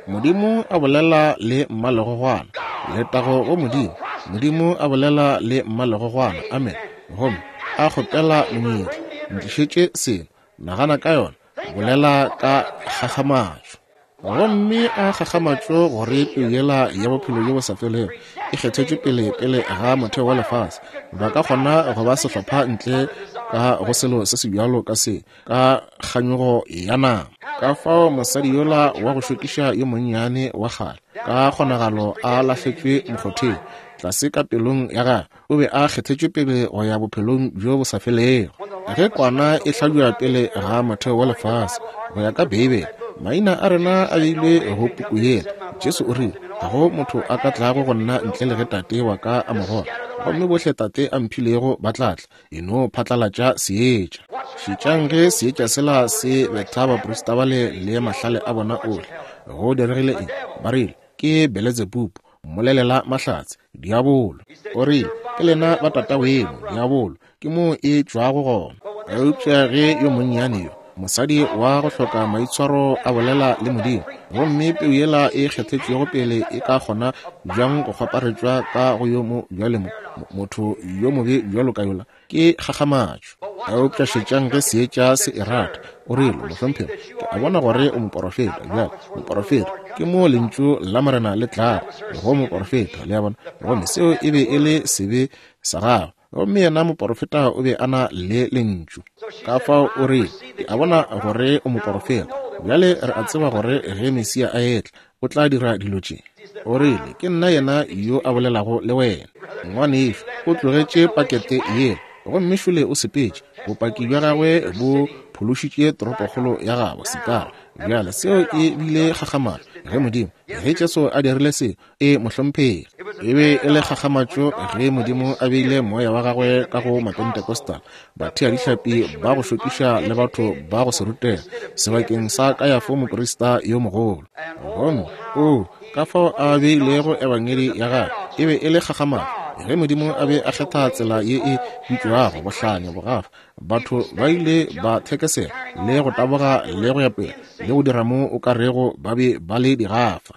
Modimo a bolela le mmalegogwana. Letago go Modimo. Modimo a bolela le mmalegogwana. Amen. Gomme a kgopela monyetla. Ntlišetše selo. Nagana ka yona. Bolela ka kgakgamatšo. Gomme a kgakgamatšo gore peu yela ya bophelo bjo bo sa felego e kgethetšwe pele pele ga motheo wa lefase. Ba ka kgona go ba sehlopha ntle ka go selo se se bjalo ka se. ka kganyogo ya nama. Ka fao mosadi yola wa go šokiša yo monnyane wa kgale ka kgonagalo a lahletšwe mokgotheng, tlase ka pelong ya gagwe, o be a kgethetšwe pele go ya bophelong bjo bo sa felego. Ge kwana e hlabja pele ga motheo wa lefase, go ya ka Beibele, maina a rena a beilwe go puku yela. Jesu o rile, Ga go motho a ka tlago go nna ntle le ge Tate wa ka a mo goga, gomme bohle Tate a mphilego ba tla tla. E no phatlalatša seetša. Šetšang ge seetša sela se betha baprista bale le mahlale a bona ohle. Go diregile eng? Ba rile, Ke Beletsebubu, mmolelela mahlatse, diabolo. O rile, Ke lena ba tataweno, diabolo. Ke moo e tšwago gona. Eupša ge yo monnyane yo, mosadi wa go hloka maitshwaro a bolela le Modimo, gomme peu yela e kgethetšwego pele e ka kgona bjang go kgwaparetšwa ka go yo mo bjale mo, motho yo mobe bjalo ka yola, ke kgakgamatšo. Eupša šetšang ge seetša se e rata. O rile, Mohlomphegi, ke a bona gore o moporofeta. Bjale, moporofeta, ke moo Lentšu la Morena le tlago go moporofeta, le a bona. Gomme seo e be e le sebe sa gagwe. Gomme yena moporofeta o be a na le Lentšu. Ka fao o rile, Ke a bona gore o moporofeta. Bjale re a tseba gore ge Mesia a etla, o tla dira dilo tše. O rile, Ke nna yena yo a bolelago le wena. Ngwanešu o tlogetše pakete yela, gomme šole o sepetše. Bopaki bja gagwe bo phološitše toropokgolo ya gabo, Sikara. Bjale seo e bile kgakgamatšo ge Modimo, ge Jesu a dirile seo, E, mohlomphegi. E be e le kgakgamatšo ge Modimo a beile Moya wa Gagwe ka go Mapentecostal, batheadihlapi ba go šokiša le batho ba go se rutega, sebakeng sa Kayafo moprista yo mogolo. Gomme, oo, ka fao a beilego Ebangedi ya gagwe! E be e le kgakgamatšo ge Modimo a be a kgetha tsela ye e bitšwago bohlanya, bogafa. Batho ba ile ba thekesela le go taboga le go ya pele le go dira mo o ka rego ba be ba le digafa.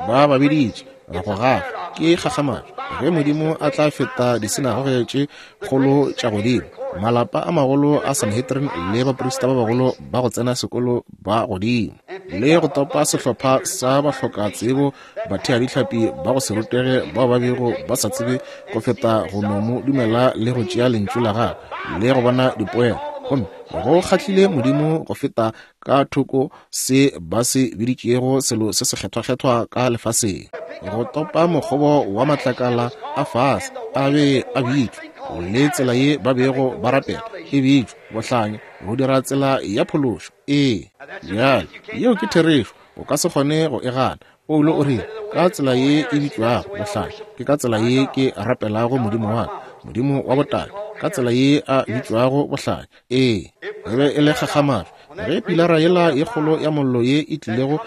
Ba ba biditše go gafa. Ke kgakgamatšo ge Modimo a tla feta disinagoge tše kgolo tša godimo, malapa a magolo a Sanhedrin le baprista ba bagolo ba go tsena sekolo ba godimo, le go topa sehlopha sa bahlokatsebo, batheadihlapi ba go se rutege bao ba bego ba sa tsebe go feta go no mo dumela le go tšea lentšu la gagwe le go bona dipoelo. Gomme go kgahlile Modimo go feta ka thoko se ba se biditšego selo se sekgethwakgethwa ka lefaseng, go topa mokgobo wa matlakala a fase a be a bitšwa, le tsela ye ba bego ba rapela e bitšwa bohlanya, go dira tsela ya phološo. Ee, bjale yeo ke therešo, o ka se kgone go e gana. Paulo o rile, Ka tsela ye e bitšwago bohlanya, ke ka tsela ye ke rapelago Modimo wa ka, Modimo wa botate, ka tsela ye a bitšwago bohlanya. Ee, e be e le kgakgamatšo ge pilara yela ye kgolo ya mollo ye e tlilego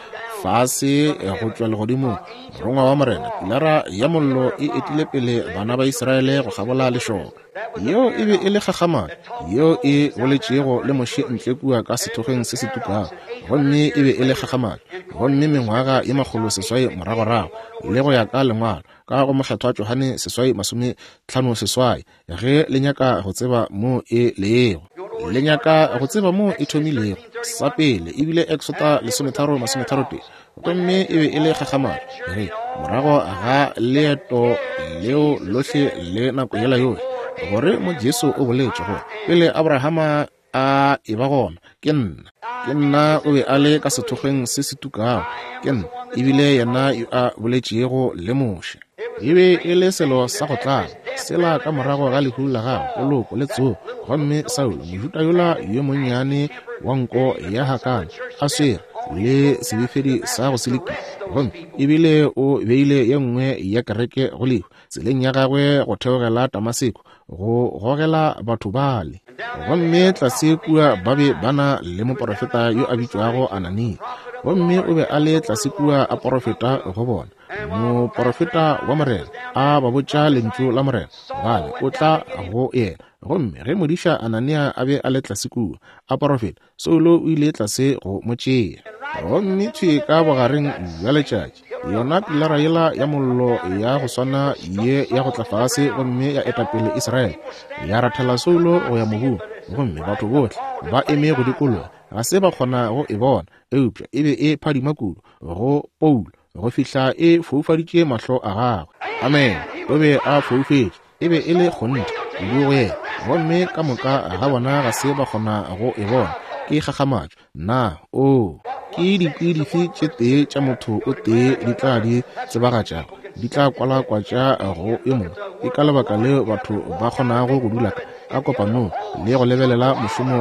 fase go tšwa legodimong, morongwa wa Morena, pilara ya mollo e etile pele bana ba Israele go kgabola lešoka. Yeo e be e le kgakgamatšo yeo e boletšego le Moshe ntle kua ka sethokgweng se se tukago, gomme e be e le kgakgamatšo. Gomme mengwaga ye 600 moragorago, le go ya ka Lengwalo, ka go Mokgethwa Johane 6:58, ge le nyaka go tseba moo e lego, le nyaka go tseba moo e thomilego, sa pele e bile Exota 13:33, gomme e be e le kgakgamatšo ge morago ga leeto leo lohle le nako yela yohle, gore mo Jesu o boletše gore pele Abrahama a e ba gona, ke nna. Ke nna o be a le ka sethokgweng se se tukago, ke nna, ebile yena yo a boletšego le Moshe. E be e le selo sa go tlaba, sela ka morago ga lehu la gagwe, poloko le tsogo, gomme Saulo, Mojuda yola yo monnyane wa nko ya hakana, a swere le sebefedi sa go selekile, gomme ebile o beile ye nngwe ya kereke go lehu tseleng ya gagwe go theogela Damaseko, go gogela batho bale. Gomme tlase kua ba be ba na le moporofeta yo a bitšwago Anania, gomme o be a le tlase kua a porofeta go bona, moporofeta wa Morena, a ba botša lentšu la Morena, gobane o tla go yena. Gomme ge modiša Anania a be a le tlase kua a porofeta, Saulo o ile tlase go mo tšea. Gomme thwi ka bogareng bja letšatši, yona pilara yela ya mollo ya go swana ye ya go tla fase gomme ya eta pele Israele, ya rathela Saulo go ya mobung, gomme batho bohle ba eme go dikologa, ga se ba kgona go e bona, eupša e be e phadima kudu go Paulo go fihla e foufaditše mahlo a gagwe. Amene. O be a foufetše. E be e le kgonthe kudu go yena, gomme ka moka ga bona ga se ba kgona go e bona. Ke kgakgamatšo. Na, oo, Ke dikwi dife tše tee tša motho o tee di tla di tsebagatšago, di tla kwalakwatša go yo mongwe? Ke ka lebaka leo batho ba kgonago go dula ka kopanong le go lebelela mošomo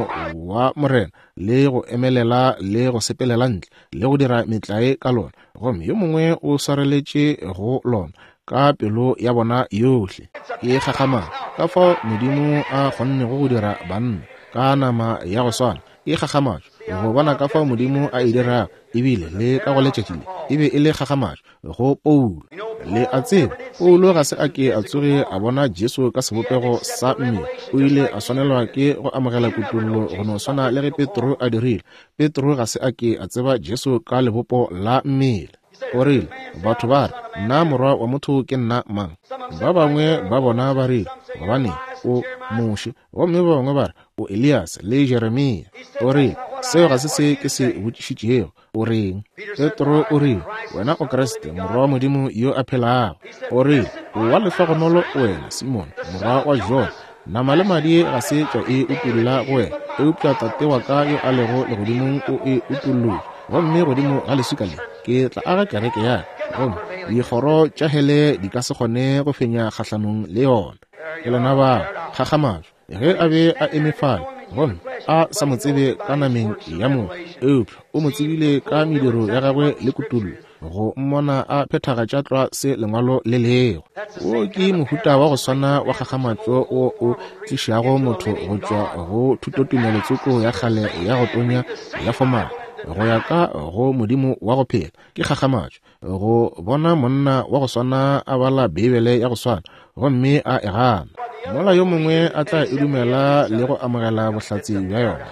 wa Morena, le go emelela le go sepelela ntle le go dira metlae ka lona, gomme yo mongwe o swareletše go lona ka pelo ya bona yohle. Ke kgakgamalo ka fao Modimo a kgonnego go dira banna ka nama ya go swana. Ke kgakgamatšo go bona ka fao Modimo a e dirago, ebile le ka go letšatši le e be e le kgakgamatšo go Paulo. Le a tseba, Paulo ga se a ke a tsoge a bona Jesu ka sebopego sa mmele. O ile a swanelwa ke go amogela kutollo go no swana le ge Petro a dirile. Petro ga se a ke a tseba Jesu ka lebopo la mmele. O rile, Batho ba re, Nna Morwa wa motho ke nna mang? Ba bangwe ba bona ba rile, Gobane o Moshe. Gomme ba bangwe ba re, O Elias le Jeremia. O rile, Seo ga se se ke se botšišitšego. O reng? Petro o rile, Wena o Kriste, Morwa wa Modimo yo a phelago. O rile, O wa lehlogonolo wena, Simone, morwa wa Jona. Nama le madi ga se tša e utolla go wena, eupša Tate wa ka yo a lego legodimong o e utollotše. Gomme godimo ga leswika le ke tla aga kereke ya ka, gomme dikgoro tša hele di ka se kgone go fenya kgahlanong le yona. Ke lena bao, kgakgamatšo, ge a be a eme fale, gomme a sa mo tsebe ka nameng ya motho, eupša o mo tsebile ka mediro ya gagwe le kutollo, go mmona a phethagatša tlwa se Lengwalo le lego. Wo ke mohuta wa go swana wa kgakgamatšo wo o tlišago motho go tšwa go thutotumelo tsoko ya kgale ya go tonya ya fomale go ya ka go Modimo wa go phela. Ke kgakgamatšo go bona monna wa go swana a bala Beibele ya go swana gomme a e gana, mola yo mongwe a tla e dumela le go amogela bohlatse bja yona.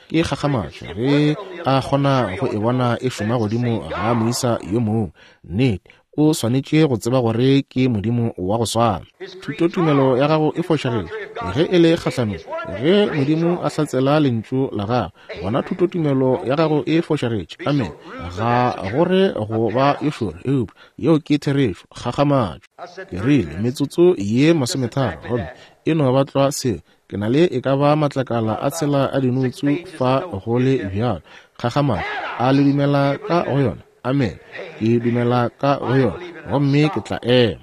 Ke kgakgamatšo ge a kgona go e bona e šoma godimo ga moisa yo mongwe. Nnete, o swanetše go tseba gore ke Modimo wa go swana. Thutotumelo ya gago e fošagetše ge e le kgahlanong. Ge Modimo a hlatsela Lentšu la Gagwe, gona thutotumelo ya gago e fošagetše. Amene. Ga go re go ba yo šoro, eupša yeo ke therešo. Kgakgamatšo. Ke rile, metsotso ye masometharo, gomme e no ba tlwa seo. Ke na le e ka ba matlakala a tshela a dinoutsu fa go le bjalo. Kgakgamatšo. A le dumela ka go yona? Amene. Ke dumela ka go yona, gomme ke tla ema.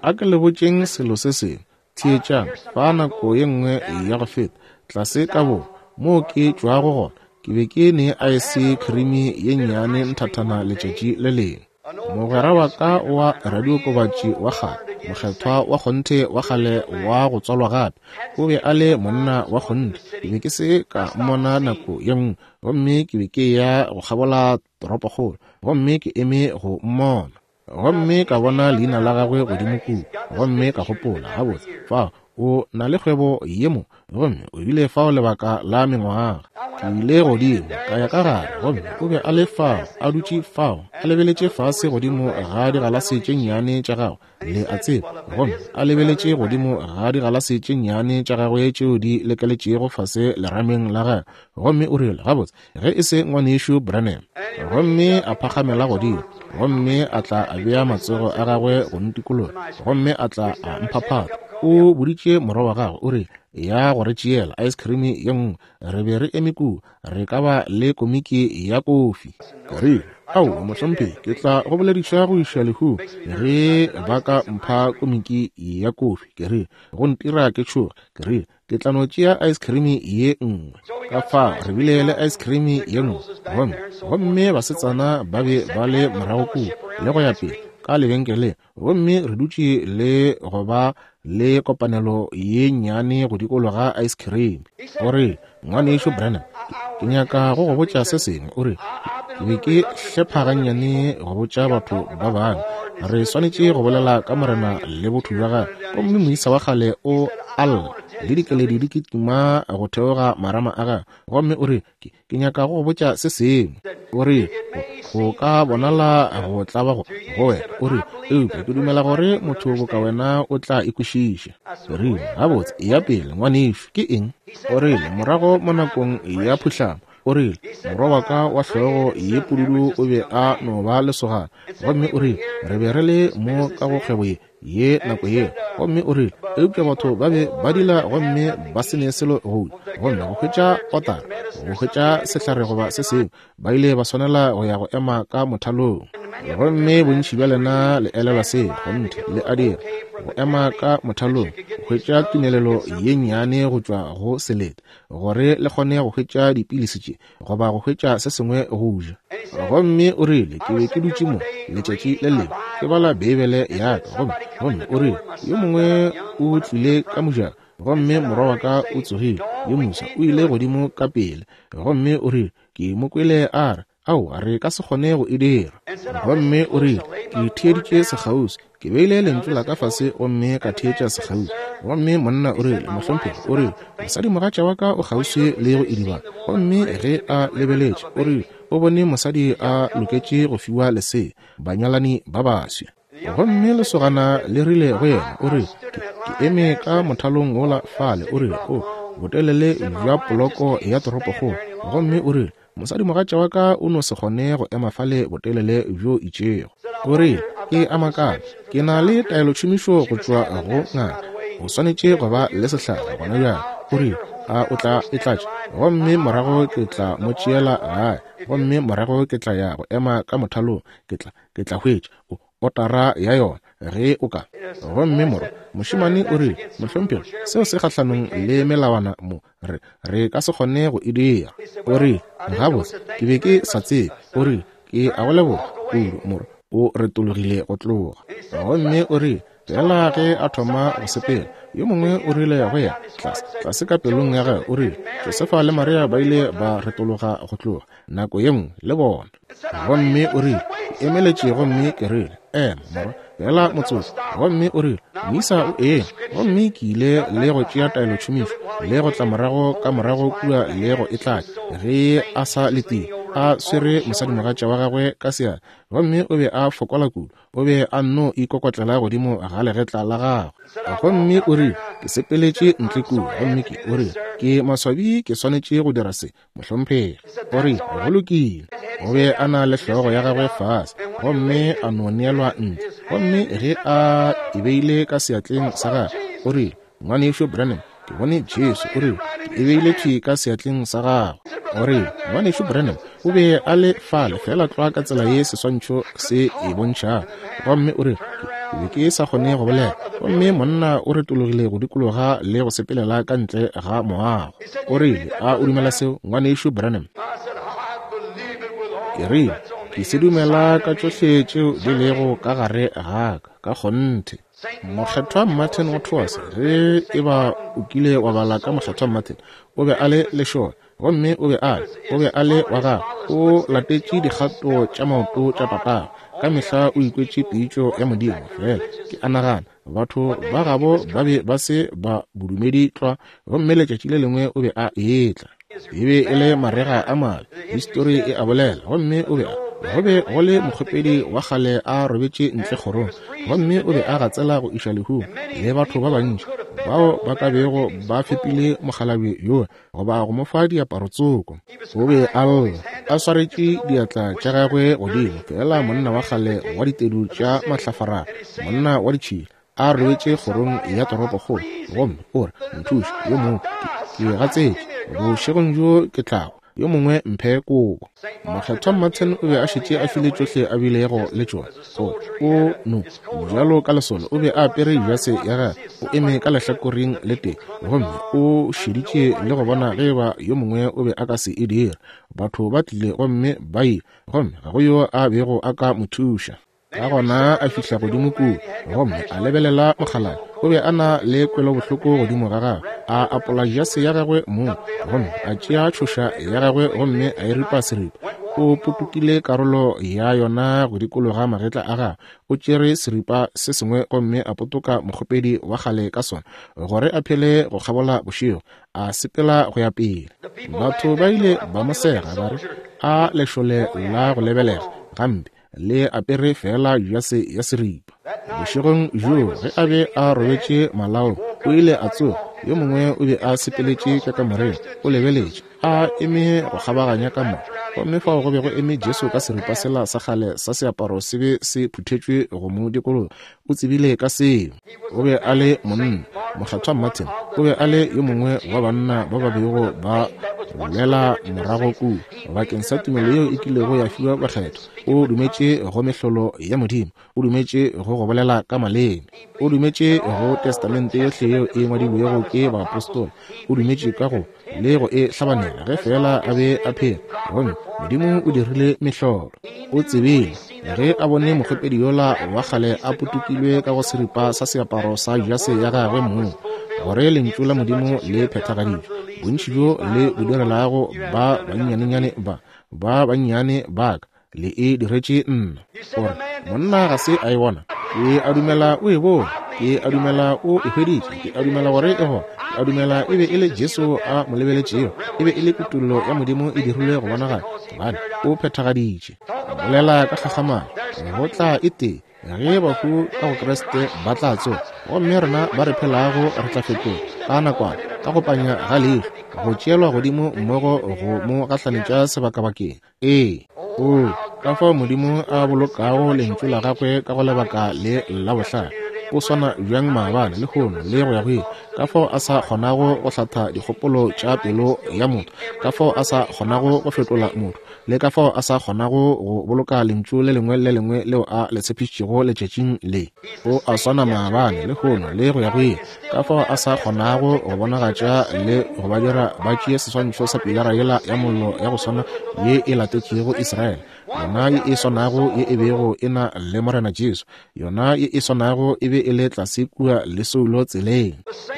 A ke le botšeng selo se sengwe. Theetšang, fa nako ye nngwe ya go feta, tlase ka borwa, moo ke tšwago gona, ke be ke ne aese khrimi ye nnyane nthathana letšatši le lengwe. Mogwera wa ka wa radiokobatši wa kgale, mokgethwa wa kgonthe wa kgale wa go tswalwa gape, o be a le monna wa kgonthe. Ke be ke se ka mmona nako ye nngwe, gomme ke be ke eya go kgabola toropokgolo, gomme ke eme go mmona. Gomme ka bona leina la gagwe godimo kua, gomme ka gopola, Gabotse, fao o na le kgwebo ye mo, gomme o bile fao lebaka la mengwaga. Ke ile godimo, ka ya ka gare, gomme o be a le fao, a dutše fao, a lebeletše fase godimo ga digalase tše nnyane tša gagwe, le a tseba, gomme a lebeletše godimo ga digalase tše nnyane tša gagwe tšeo di lekeletšego fase lerameng la gagwe, gomme o rile, Gabotse, ge e se Ngwanešu Branham. Gomme a phagamela godimo, gomme a tla a bea matsogo a gagwe go ntikologa, gomme a tla a mphaphatha. O boditše morwa wa gagwe, o rile, Ya go re tšeela ice cream ye nngwe. Re be re eme kua, re ka ba le komiki ya kofi. Ke rile, Aowa, mohlomphegi, ke tla go bolediša go iša lehung ge ba ka mpha komiki ya kofi. Ke rile, Go ntira ke tšhoge. Ke rile, Ke tla no tšea ice cream ye nngwe. Ka fao re bile le ice cream ye nngwe, gomme, gomme basetsana ba be ba le morago kua, le go ya pele, ka lebenkeleng, gomme re dutše le go ba le kopanelo ye nnyane go dikologa ice cream. O rile, Ngwanešu Branham, ke nyaka go go botša se sengwe. O rile, Ke be ke hlepha gannyane go botša batho ba bangwe. Re swanetše go bolela ka Morena le botho bja gagwe. Gomme moisa wa kgale o a lla, le dikeledi di kitima go theoga marama a gagwe. Gomme o rile, Ke, ke nyaka go go botša se sengwe. O rile, Go, go ka bonala go tlaba go, go wena. O rile, Eupša ke dumela gore motho boka wena o tla e kwešiša. Ke rile, Gabotse, eya pele, ngwanešu. Ke eng? O rile, Morago mo nakong ya phuhlamo, o rile, morwa wa ka wa hlogo ye pududu o be a no ba lesogana. Gomme o rile, re be re le mo ka go kgwebo ye, ye nako yeo. Gomme o rile, Eupša batho ba be ba dila gomme ba se ne selo go ja, gomme go hwetša otara, go hwetša sehlare goba se sengwe, ba ile ba swanela go ya go ema ka mothalong. Gomme bontši bja lena le elelwa se, kgonthe, le a dira, go ema ka mothalong, go hwetša tumelelo ye nnyane go tšwa go selete, gore le kgone go hwetša dipilisi tše, goba go hwetša se sengwe go ja. Gomme o rile, Ke be ke dutše mo, letšatši le lengwe, ke bala Beibele ya ka, gomme, gomme o rile, yo mongwe o tlile ka mojako, gomme morwa wa ka o tsogile, yo moswa, o ile godimo ka pele, gomme o rile, Ke mo kwele a re, Aowa, re ka se kgone go e dira. Gomme o rile, Ke theeditše sekgauswi. Ke beile lentšu la ka fase gomme ka theetša sekgauswi. Gomme monna o rile, Mohlomphegi, o rile, mosadimogatša wa ka o kgauswi le go idibala. Gomme ge a lebeletše, o rile, o bone mosadi a loketše go fiwa lesea, banyalani ba baswa. Gomme lesogana le rile go yena, o rile, Ke, ke eme ka mothalong wola fale, o rile, o, botelele bja poloko ya toropokgolo. Gomme o rile, Mosadimogatša wa ka o no se kgone go ema fale botelele bjo itšego. O rile, Ke a makala. Ke na le taelotšhomišo go tšwa go ngaka. O swanetše go ba le sehlare gona bjale. O rile, A o tla e tlatša? Gomme morago ke tla mo tšeela gae, gomme morago ke tla ya go ema ka mothalong. Ke tla, ke tla hwetša o, otara ya yona, ge o ka. Gomme morwa mošemane o rile, Mohlomphegi, seo se kgahlanong le melawana mo. Re, re ka se kgone go e dira. O rile, Gabotse, ke be ke sa tsebe. O rile, Ke a go leboga kudu, morwa. O retologile go tloga. Gomme o rile, Feela ge a thoma go sepela, yo mongwe o rile go yena, tlase, tlase ka pelong ya gagwe, o rile, Josefa le Maria ba ile ba retologa go tloga, nako ye nngwe, le bona. Gomme o rile, Ke emeletše gomme ke rile, Ema, morwa, feela motsotso. Gomme o rile, Moisa o eme. Gomme ke ile le go tšea taelotšhomišo, le go tla morago ka morago kua le go e tlatša, ge a sa letile, a swere mosadimogatša wa gagwe ka seatla. Gomme o be a fokola kudu, o be a nno ikokotlela godimo ga legetla la gagwe. Gomme o rile, Ke sepeletše ntle kua, gomme ke, o rile, ke maswabi ke swanetše go dira se, mohlomphegi. O rile, Go lokile. O be a na le hlogo ya gagwe fase, gomme a no neelwa ntle. Gomme ge a e beile ka seatleng sa gagwe, o rile, Ngwanešu Branham, ke bone Jesu. O rile, Ke e beile thwi ka seatleng sa gagwe. O rile, Ngwanešu Branham, o be a le fale feela tlwa ka tsela ye seswantšho se e bontšhago. Gomme o rile, Ke be ke sa kgone go bolela. Gomme monna o retologile go dikologa le go sepelela ka ntle ga moago. O rile, A o dumela seo, Ngwanešu Branham? Ke rile, Ke se dumela ka tšohle tšeo di lego ka gare ga ka, ka kgonthe. Mokgethwa Martin wa Tours, ge e ba o kile wa bala ka Mokgethwa Martin, o be a le lešole, gomme o be a le, o be a le wa gagwe, o latetše dikgato tša maoto tša tatagwe, ka mehla o ikwetše pitšo ya Modimo. Feela ke a nagana, batho ba gabo ba be ba se ba bodumedi tlwa, gomme letšatši le lengwe o be a etla. E be e le marega a mabe, histori e a bolela, gomme o be a, go be go le mokgopedi wa kgale a robetše ntle kgorong, gomme o be a gatsela go iša lehung, le batho ba bantši bao ba ka bego ba fepile mokgalabje yola goba go mo fa diaparo tsoko. O be a lla, a swaretše diatla tša gagwe godimo, feela monna wa kgale wa ditedu tša mahlafarara, monna wa ditšhila, a robetše kgorong ya toropokgolo, gomme o re, Nthuše, yo mongwe, ke, ke gatsetše, bošegong bjo ke tla hwa, yo mongwe mphe kobo. Mokgethwa Martin o be a šetše a file tšohle a bilego le tšona. O, o no, bjalo ka lesole, o be a apere jase ya gagwe, o eme ka lehlakoreng le tee, gomme o šeditše le go bona ge eba yo mongwe o be a ka se e dire. Batho ba tlile gomme ba ile, gomme ga go yo a bego a ka mo thuša. Ka gona a fihla godimo kua gomme a lebelela mokgalabje. O be a na le kwelobohloko godimo ga gagwe. A apola jase ya gagwe mong gomme a tšea tšhoša ya gagwe gomme a e ripa seripa. O potokile karolo ya yona go dikologa magetla a gagwe. O tšere seripa se sengwe gomme a potoka mokgopedi wa kgale ka sona gore a phele go kgabola bošego. A sepela go ya pele. Batho ba ile ba mo sega ba re, A lešole la go lebelega gampe! Le apere feela jase ya seripa. Bošegong bjoo ge a be a robetše malaong, o ile a tsoga. Yo mongwe o be a sepeletše ka kamoreng, o lebeletše, a eme go kgabaganya kamora. Gomme fao go be go eme Jesu ka seripa sela sa kgale sa seaparo se be se phuthetšwe go mo dikologa. O tsebile ka seo. O be a le monna. Mokgethwa Martin o be a le yo mongwe wa banna ba ba bego ba lwela morago kua bakeng sa tumelo yeo e kilego ya fiwa bakgethwa. O dumetše go mehlolo ya Modimo. O dumetše go go bolela ka maleme. O dumetše go Testamente yohle yeo e ngwadilwego ke baapostola. O dumetše ka go le go e hlabanela ge feela a be a phela. Gomme Modimo o dirile mehlolo. O tsebile ge a bone mokgopedi yola wa kgale a potokilwe ka go seripa sa seaparo sa jase ya gagwe mong, gore Lentšu la Modimo le phethagaditšwe. Bontši bjo le bo direlago ba bannyanenyane ba, ba bannyane ba ka, le e diretše nna. O re, Monna ga se a e bona. Ke a dumela o e bone. Ke a dumela o e hweditše. Ke a dumela gore e gona. Ke a dumela e be e le Jesu a mo lebeletšego. E be e le kutollo ya Modimo e dirilwe go bonagala, gobane o phethagaditše. Bolela ka kgakgamalo, go tla e tee ge bahu ka go Kriste ba tla tsoga, gomme rena ba re phelago re tla fetoga ka nakwana, ka go panya ga leihlo, go tšeelwa godimo mmogo go mo gahlanetša sebakabakeng. Ee, oo, ka fao Modimo a bolokago Lentšu la Gagwe ka go lebaka le la bohlale! O swana bjang maabane, lehono, le go ya go ile! Ka fao a sa kgonago go hlatha dikgopolo tša pelo ya motho, ka fao a sa kgonago go fetola motho, le ka fao a sa kgonago go boloka Lentšu le lengwe le lengwe leo a le tshepišitšego letšatšing le. O a swana maabane, lehono, le go ya go ile. Ka fao a sa kgonago go bonagatša le go ba dira ba tšee seswantšho sa pilara yela ya mollo ya go swana ye e latetšego Israele, yona ye e swanago ye e bego e na le Morena Jesu, yona ye e swanago e be e le tlase kua le Saulo tseleng,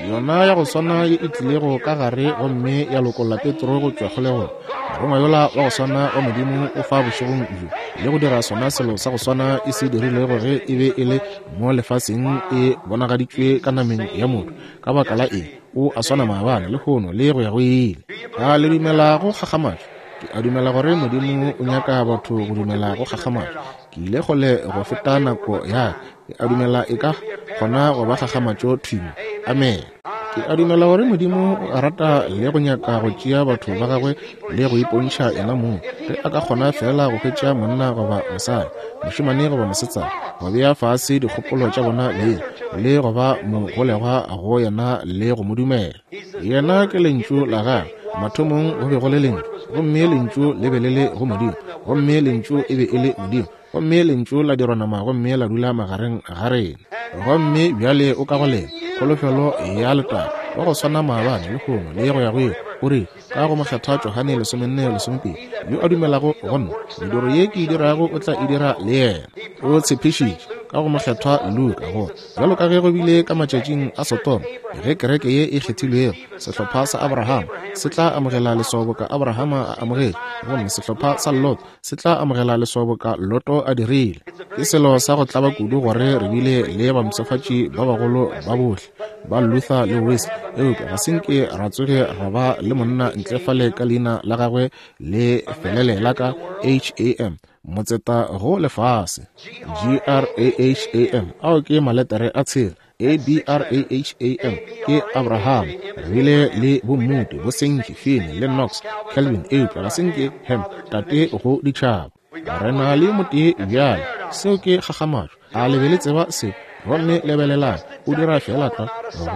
yona ya go swana ye e tlilego ka gare gomme ya lokolla Petro go tšwa kgolegong. Morongwa yola wa go swana wa Modimo o fa bošegong bjo le go dira sona selo sa go swana e se dirilego ge e be e le mo lefaseng e bonagaditšwe ka nameng ya motho. Ka baka la eng? O a swana maabane, lehono, le go ya go ile. A le dumela go kgakgamatšo? Ke a dumela gore Modimo o nyaka batho go dumela go kgakgamatšo. Ke ile kgole go feta nako ya ka. Ke a dumela e ka kgona go ba kgakgamatšo thwi mo. Amene. Ke a dumela gore Modimo o a rata le go nyaka go tšea batho ba gagwe le go ipontšha yena mong, ge a ka kgona feela go hwetša monna goba mosadi, mošemane goba mosetsana, go bea fase dikgopolo tša bona beng le go ba mogolegwa go yena le go mo dumela. Yena ke Lentšu la Gagwe. Mathomong go be go le Lentšu, gomme Lentšu le be le le go Modimo, gomme Lentšu e be e le Modimo. Gomme Lentšu la dirwa nama gomme la dula magareng ga rena. Gomme bjale o ka go lena, kholofelo ya letago, wa go swana maabane, lehono, le go ya go ile. O rile, ka go Mokgethwa Johane 14:12, Yo a dumelago go Nna, mediro ye Ke e dirago o tla e dira le yena. O tshepišitše, ka go Mokgethwa Luka, gore, Bjalo ka ge go bile ka matšatšing a Sodoma, ge kereke ye e kgethilwego, sehlopha sa Abrahama, se tla amogela leswao boka Abrahama a amogetše, gomme sehlopha sa Lot se tla amogela leswao boka Loto a dirile. Ke selo sa go tlaba kudu gore re bile le bampshafatši ba bagolo ba bohle ba Luther le Wesley, eupša ga se nke ra tsoge ra ba le monna ntle fale ka leina la gagwe le felelela ka H-A-M, motseta go lefase. G-R-A-H-A-M, ao ke maletere a tshela. A-B-R-A-H-A-M ke Abraham. Re bile le bo Moody, bo Sankey, Finney, le Knox, Calvin, eupša ga se nke Ham, tate go ditšhaba. Re na le motee bjale. Seo ke kgakgamatšo. A le be le tseba se? Gomme lebelelang, o dira feela tlwa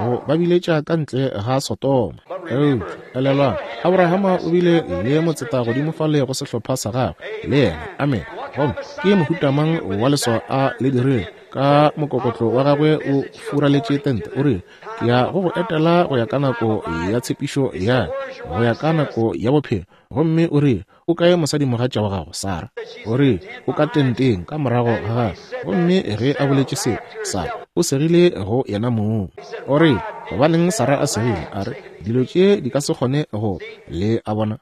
go ba biletša ka ntle ga Sodoma. Eupša, elelwang, Abrahama o bile le motseta godimo fale go sehlopha sa gagwe, le yena. Amene. Gomme ke mohuta mang wa leswao a le dirile? Ka mokokotlo wa gagwe o furaletše tente, o rile, Ke ya go go etela go ya ka nako ya tshepišo ya ka, go ya ka nako ya bophelo. Gomme o rile, O kae mosadimogatša wa gago, Sara? O rile, O ka tenteng ka morago ga gagwe. Gomme ge a boletše seo, Sara o segile go yena mong. O rile, Gobaneng Sara a segile? A re, Dilo tše di ka se kgone go. Le a bona?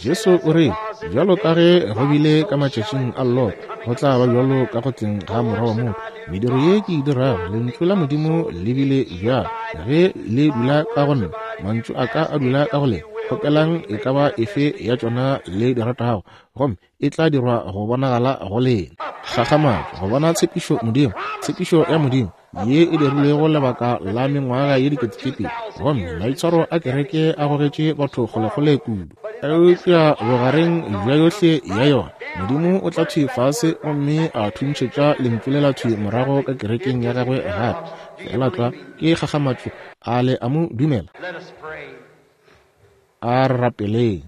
Jesu o rile, Bjalo ka ge go bile ka matšatšing a Lot, go tla ba bjalo ka go tleng ga Morwa wa motho. Mediro ye ke e dirago, Lentšu la Modimo le bile bjalo. Ge le dula ka go Nna, Mantšu a Ka a dula ka go lena, kgopelang e ka ba efe ya tšona le di ratago, gomme e tla dirwa go bonagala go lena. Kgakgamatšo, go bona tshepišo Modimo, tshepišo ya Modimo, ye e dirilwego lebaka la mengwaga ye diketekete, gomme maitshwaro a kereke a gogetše batho kgolekgole kudu. Eupša bogareng bja yohle ya yona, Modimo o tla thwi fase gomme a thuntšhetša Lentšu lela thwi morago ka kerekeng ya Gagwe gape. Feela tlwa, ke kgakgamatšo. A le a Mo dumela? A re rapeleng.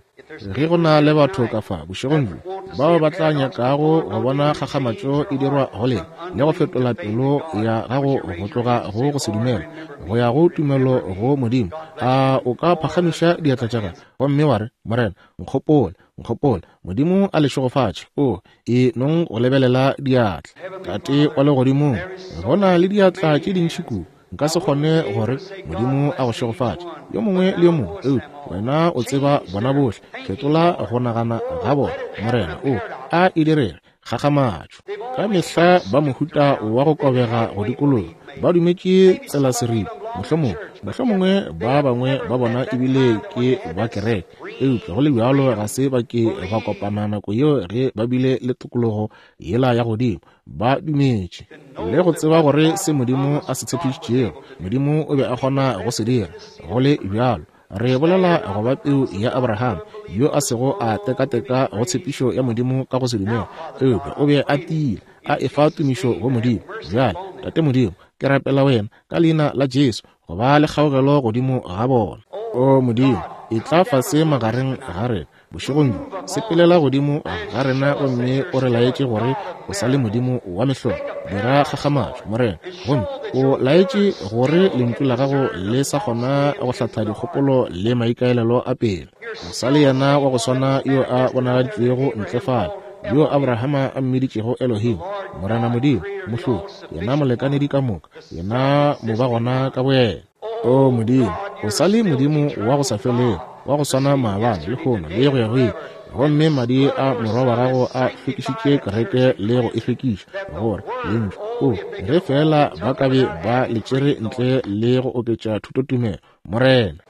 Ge go na le batho ka fa bošegong bjo bao ba tla nyakago go bona kgakgamatšo e dirwa go lena le go fetola pelo ya gago go tloga go go se dumele go ya go tumelo go Modimo, a o ka phagamiša diatla tša gago gomme wa re, Morena, nkgopole, nkgopole. Modimo a le šegofatše. O e nong go lebelela diatla. Tate wa Legodimong, go na le diatla tše dintši kudu. Nka se kgone gore Modimo a go šegofatše yo mongwe le yo mongwe, eupša wena o tseba bona bohle. Fetola go nagana ga bona, Morena. O a e direge kgakgamatšo. Ka mehla ba mohuta wa go kobega go dikologa, ba dumetše tselaseripa. Mohlomongwe, mohlomongwe ba bangwe ba bona ebile ke ba kereke, eupša go le bjalo ga se ba ke ba kopana nako yeo ge ba bile le tokologo yela ya godimo. Ba dumetše le go tseba gore se Modimo a se tshepišitšego, Modimo o be a kgona go se dira. Go le bjalo, re bolela go ba peu ya Abraham, yo a sego a tekateka go tshepišo ya Modimo ka go se dumele, eupša o be a tiile, a efa tumišo go Modimo. Bjale, Tate Modimo, ke rapela Wena ka Leina la Jesu, go ba le kgaogelo godimo ga bona. O Modimo, etla fase magareng ga rena bošegong bjo, sepelela godimo ga rena gomme o re laetše gore o sa le Modimo wa mehlolo. Dira kgakgamatšo, Morena, gomme o laetše gore Lentšu la Gago le sa kgona go hlatha dikgopolo le maikaelelo a pelo. O sa le yena wa go swana yo a bonagaditšwego ntle fale, yo Abrahama a mmiditšego Elohim, Morena Modimo, Mohlodi, yena molekanedi ka moka, yena mobagona ka boyena. O Modimo, o sa le Modimo wa go sa felego, wa go swana maabane, lehono, le go ya go ile. Gomme madi a Morwa wa Gago a hlwekišitše kereke le go e hlwekiša, gore Lentšu, o, ge feela ba ka be ba le tšere ntle le go oketša thutotumelo, Morena.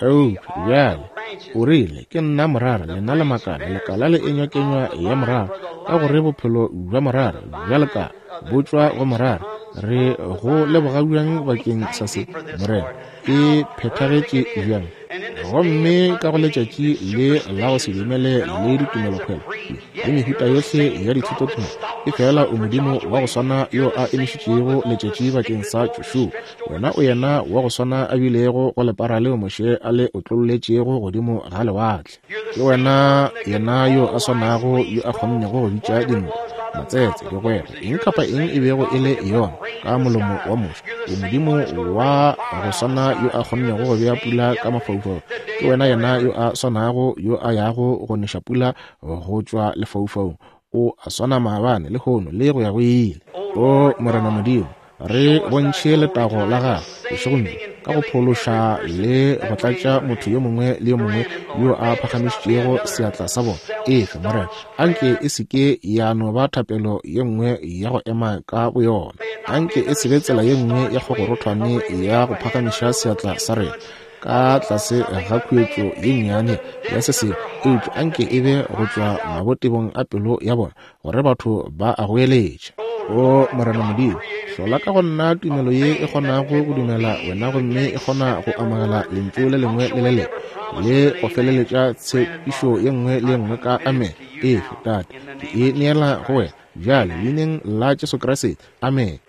Eupša bjale o rile, Ke nna morara, lena le makala. Lekala le enywa kenywa ya morara, ka gore bophelo bja morara bja lekala bo tšwa go morara. Re go leboga bjang bakeng sa se, Morena. E phethagetše bjang! Gomme ka go letšatši le la go se dumele le ditumelokhwelo le mehuta yohle ya dithutotumelo, efela o Modimo wa go swana yo a emišitšego letšatši bakeng sa Joshua. Wena o yena wa go swana a bilego go lepara leo Moshe a le otlolletšego godimo ga lewatle. Ke wena yena yo a swanago yo a kgonnego go bitša dinoka, matsetse, digwegwe, eng kapa eng e bego e le yona, ka molomo wa Moshe. O Modimo wa go swana yo a kgonnego go bea pula ka mafaufaung. Ke wena yena yo a swanago yo a yago go neša pula go tšwa lefaufaung. O a swana maabane, lehono, le go ya go ile. O Morena Modimo, re bontšhe letago la Gagwe bošegong bjo ka go phološa le go tlatša motho yo mongwe le yo mongwe yo a phagamišitšego seatla sa bona. Efe, Morena, anke e se ke ya no ba thapelo ye nngwe ya go ema ka boyona. Anke e se be tsela ye nngwe ya kgogorothwane ya go phagamiša seatla sa rena ka tlase ga khuetšo ye nnyane ya se sengwe, eupša anke e be go tšwa mabotebong a pelo ya bona, gore batho ba a goeletša. O Morena Modimo, hlola ka go nna tumelo ye e kgonago go dumela wena gomme e kgona go amogela lentšu le lengwe le le lengwe le go feleletša tshepišo ye nngwe le ye nngwe ka amen. Efe, Tate, ke e neela go wena bjale, leineng la Jesu Kriste. Amen.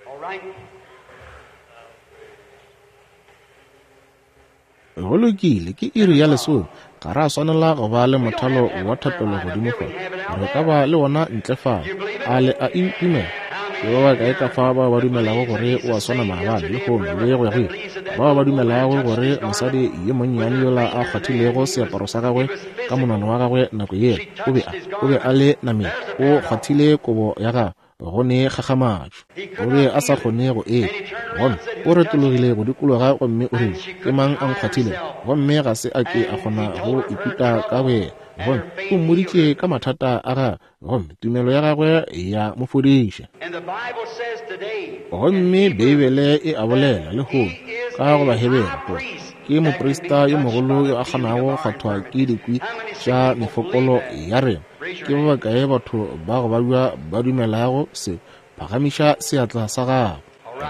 Go lokile, ke iri ya lesome. Ga ra swanela go ba le mothalo wa thapelo godimo fa. Re ka ba le wona ntle fa. A le a e dumela? Ke ba bakae ka fa bao ba dumelago gore o a swana maabane, lehono, le go ya go ile? Bao ba dumelago gore mosadi yo monnyane yola a kgwathilego seaparo sa gagwe ka monwana wa gagwe nako yela, o be a, o be a le nameng, o kgwathile kobo ya gagwe, go ne kgakgamatšo. O be a sa kgone go e gomme o retologile go dikologa gomme o rile, Ke mang a nkgwathilego? Gomme ga se a ke a kgona go ikuta ka boyena. Gomme o mmoditše ka mathata a gagwe, gomme tumelo ya gagwe ya mo fodiša. Gomme Beibele e a bolela lehono ka go Bahebere gore ke moprista yo mogolo yo a kgonago go kgwathwa ke dikwi tša mefokolo ya rena. Ke ba bakae batho ba go babja ba dumelago se? Phagamiša seatla sa gago.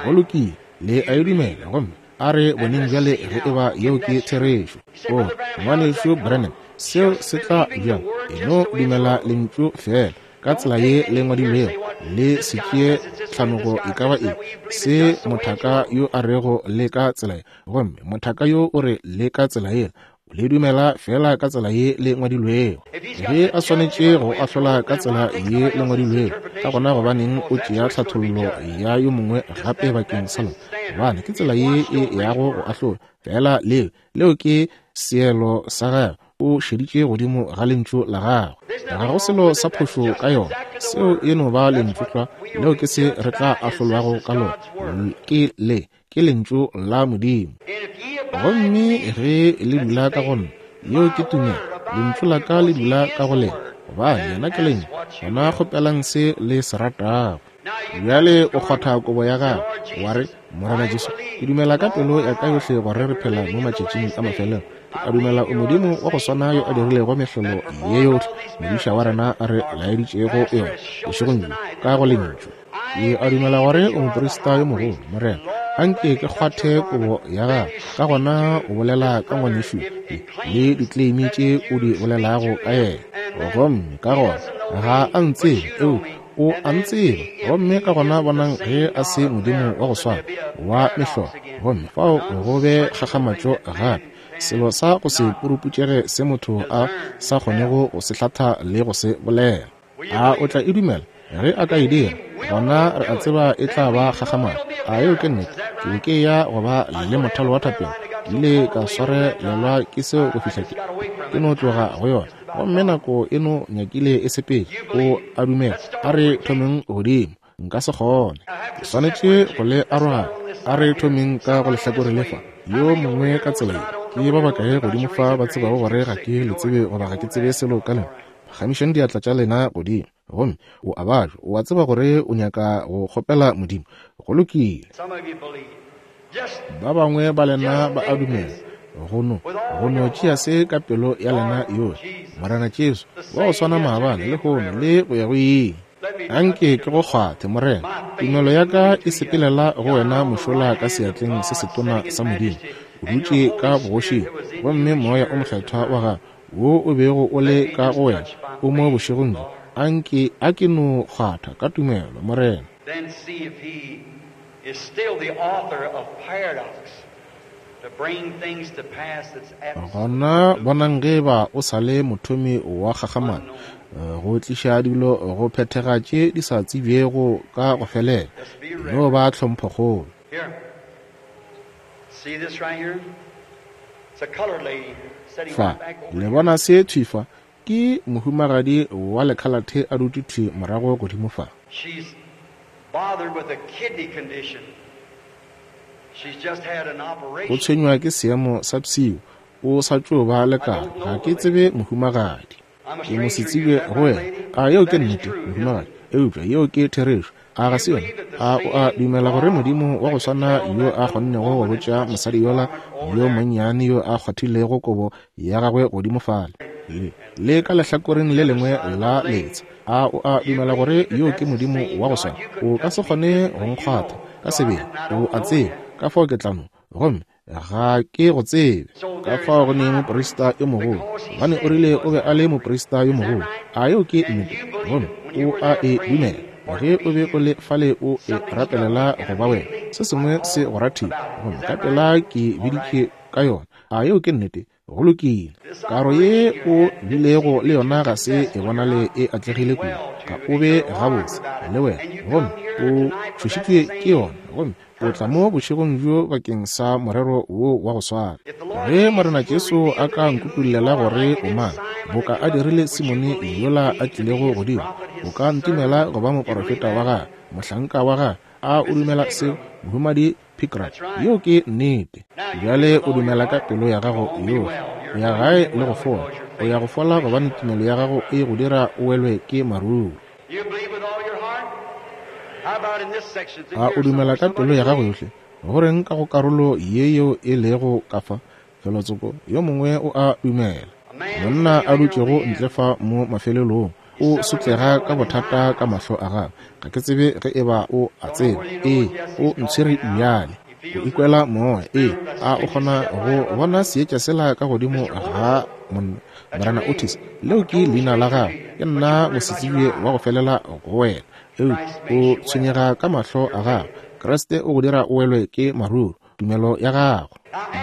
Go lokile, le a e dumela gomme A re boneng bjale ge e ba yeo ke therešo. O re, Ngwanešu Branham, seo se tla bjang? E no dumela Lentšu feela ka tsela ye le ngwadilwego, le se tšee tlhanogo e ka ba eng se mothaka yo a rego le ka tsela ye, gomme mothaka yo o re le ka tsela yela. Le dumela feela ka tsela ye le ngwadilwego. Ge a swanetše go ahlola ka tsela ye le ngwadilwego, ka gona gobaneng o tšea tlhathollo ya yo mongwe gape bakeng sa lona? Gobane ke tsela ye e yago go ahlola. Feela leo, leo ke seelo sa gagwe. O šeditše godimo ga Lentšu la gagwe. Ga go selo sa phošo ka yona. Seo e no ba Lentšu tlwa. Leo ke se re tla ahlolwago ka lona. Ke le. Ke Lentšu la Modimo. Gomme ge le dula ka go nna, yeo ke tumelo, Lentšu la ka le dula ka go lena, gobane Yena ke Lentšu, gona kgopelang se le se ratago. Bjale o kgwatha kobo ya gago, wa re, Morena Jesu, ke dumela ka pelo ya ka yohle gore re phela mo matšatšing a mafelelo. Ke a dumela o Modimo wa go swana yo a dirilego mehlolo ye yohle modiša wa rena a re laeditšego yona bošegong bjo ka go Lentšu. Ke a dumela gore o moprista yo mogolo, Morena. Anke ke kgwathe kobo ya gago. Ka gona o bolela ka ngwanešu le ditleimi tše o di bolelago ka yena. Gomme ka gona ga a ntsebe, eupša o a ntseba. Gomme ka gona bonang ge a se Modimo wa go swana wa mehlolo. Gomme fao go be kgakgamatšo gape, selo sa go se puruputšege se motho a sa kgonego go se hlatha le go se bolela. A o tla e dumela? Ge a ka e dira, gona re a tseba e tla ba kgakgamatšo. A yeo ke nnete? Ke be ke eya go ba le mothalo wa thapelo. Ke ile ka swarelelwa ke seo go fihla ke, ke no tloga go yona. Gomme nako e no nyakile e sepetše. O a dumela? A re thomeng godimo. Nka se kgone. Ke swanetše go le aroganya. A re thomeng ka go lehlakore le fa, yo mongwe ka tsela ye. Ke ba bakae godimo fa ba tsebago gore ga ke le tsebe goba ga ke tsebe selo ka lena? Phagamišang diatla tša lena godimo. Gomme o a babja, o a tseba gore o nyaka go kgopela Modimo. Go lokile. Ba bangwe ba lena ba a dumela. Go no, go no tšea se ka pelo ya lena yohle. Morena Jesu, wa go swana maabane, lehono, le go ya go ile. Anke ke go kgwathe, Morena. Tumelo ya ka e sepelela go wena mošola ka seatleng se setona sa Modimo. O dutše ka bogošing, gomme Moya o Mokgethwa wa Gago wo o bego o le ka go wena o mo bošegong bjo. Anke a ke no kgwatha ka tumelo, Morena. Then see if he is still the author of paradox to bring things to pass that's Gona bonang ge eba o sa le mothomi wa kgakgamalo, go tliša dilo go phethega tše di sa tsebjego ka go felela. E no ba tlhomphokgolo. Here. See this right here? It's a colored lady sitting Fa, right back over le here. bona se thwi fa? Ke mohumagadi wa lekhalathe a dutše thwi morago godimo fa. She's bothered with a kidney condition. She's just had an O operation. tshwenywa ke seemo sa pshio. O sa tšo ba le I karo. don't Ga know ke the lady. tsebe mohumagadi. I'm a Ke mo stranger to you. Is setsebje that go right, wena. lady? A yeo ke That is nnete, true, isn't mohumagadi? it? Eupša yeo ke therešo. A ga You se yona? believe that the A o a same dumela gore God Modimo wa that go could swana tell yo that a little kgonnego go woman and botša touch mosadi his yola garment over yo there monnyane yo a kgwathilego kobo ya gagwe godimo fale, le, le ka lehlakoreng le the other lengwe side of la the lake, letsha, a o a do you dumela gore believe that yo ke that's the Modimo same wa go God? swana? You O couldn't ka se touch me kgone go physically, you nkgwatha know, ka so I, sebele. I O don't a know tseba, you. ka fao ke tla no. Gomme ga ke go tsebe. So Ka there is fao a go ne high moprista priest yo mogolo, because he gobane o said he rile o was be the a le high priest. moprista yo Is that mogolo. right? A yeo ke And nnete? you believed Gomme it when you o were a there e praying dumela. for it Ge to o be be o you. le fale o e Something struck rapelela you, go and ba wena, immediately se I sengwe se called go rathile. about it. Gomme Is ka that right? pela ke All right. biditše ka yona. A yeo ke nnete? Go lokile. This Karo ye operation you o had didn't bilego seem to le be too yona ga se e successful. You're bonale not e atlegile getting kudu. well Ga to o it. be You're alarmed gabotse about it. le wena, And you gomme come here o tonight for that tšhošitšwe ke same yona, gomme o tla mo purpose. bošegong bjo bakeng sa morero wo wa go swana. If the Lord Ge Morena Jesus will Jesu a reveal to ka me who you nkutollela are gore like o he did mang, Simon boka that a come up, dirile would you Simone believe yola me a to be tlilego his godimo, prophet, o his ka ntumela servant? go ba You believe moporofeta wa that? gagwe, mohlanka wa gagwe? A o Mrs. dumela seo, Pigram. Mohumadi Pigram? That's right. Yeo ke nnete. Now you Bjale believe with o all your dumela ka heart. pelo ya Go gago home, be yohle. well. O You're ya going to gae get le go well fola. because your O ya faith go fola makes you gobane well. tumelo ya gago e go dira o welwe ke maruru. You believe with all your heart? How about in this section? It's in A o here dumela somewhere. ka pelo Somebody ya gago believe? yohle? Go reng ka go karolo ye yeo e lego ka fa? Felotsoko, yo mongwe o a dumela. A man Monna sitting a right here on dutšego the ntle end. fa mo mafelelong He's o suffering with sotlega ka trouble in his bothata ka eyes. mahlo a gagwe. Ga ke tsebe ge e ba o a Don't know tseba. whether you know Ee, it. Yes, o he's called ntshwere me now. bjale. If O ikwela moya. Ee, a o kgona go bona seetša sela ka godimo ga monna? Morena Otis, leo ke leina la gago. Ke nna mosetsebje wa go felela go wena. Eupša o tshwenyega ka mahlo a gago. Kriste o go dira o welwe ke maruru, tumelo ya gago.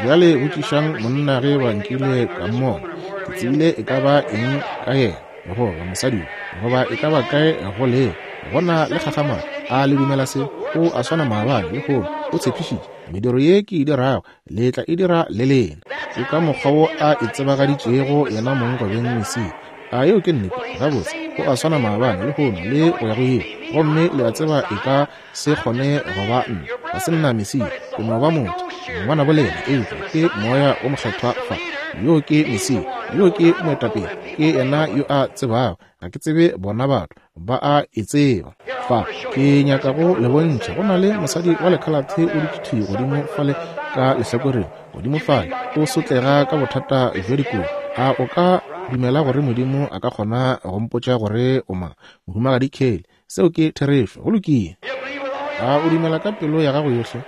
Bjale botšišang monna ge ba nkile ka mmona. Ke tsebile e ka ba eng ka yena, goba mosadi yo, goba e ka ba kae go lego. Go na le kgakgamalo. A le dumela se? O a swana maabane, lehono. O tshepišitše, Mediro ye ke e dirago, le tla e dira le lena. Ke ka mokgwa wo A itsebagaditšego Yenamong go beng Mesia. A yeo ke nnete? Gabotse, O a swana maabane, lehono, le go ya go ile. Gomme le a tseba e ka se kgone go ba nna. Ga se nna Mesia. Ke no ba motho, ngwanabo lena, eupša ke Moya wo Mokgethwa fa. Yoo ke Mesia. Yoo ke Moetapele. Ke Yena yo a tsebago. Ga ke tsebe bona batho. Ba a e tseba. Fa, ke nyaka go le bontšha, go na le mosadi wa lekhalathe o dutše thwi godimo fale ka lehlakoreng, godimo fale, o sotlega ka bothata bja dikobo. A o ka dumela gore Modimo a ka kgona go mpotša gore o mang? Mohumagadi Kelly, seo ke therešo. Go lokile. A o dumela ka pelo ya gago yohle?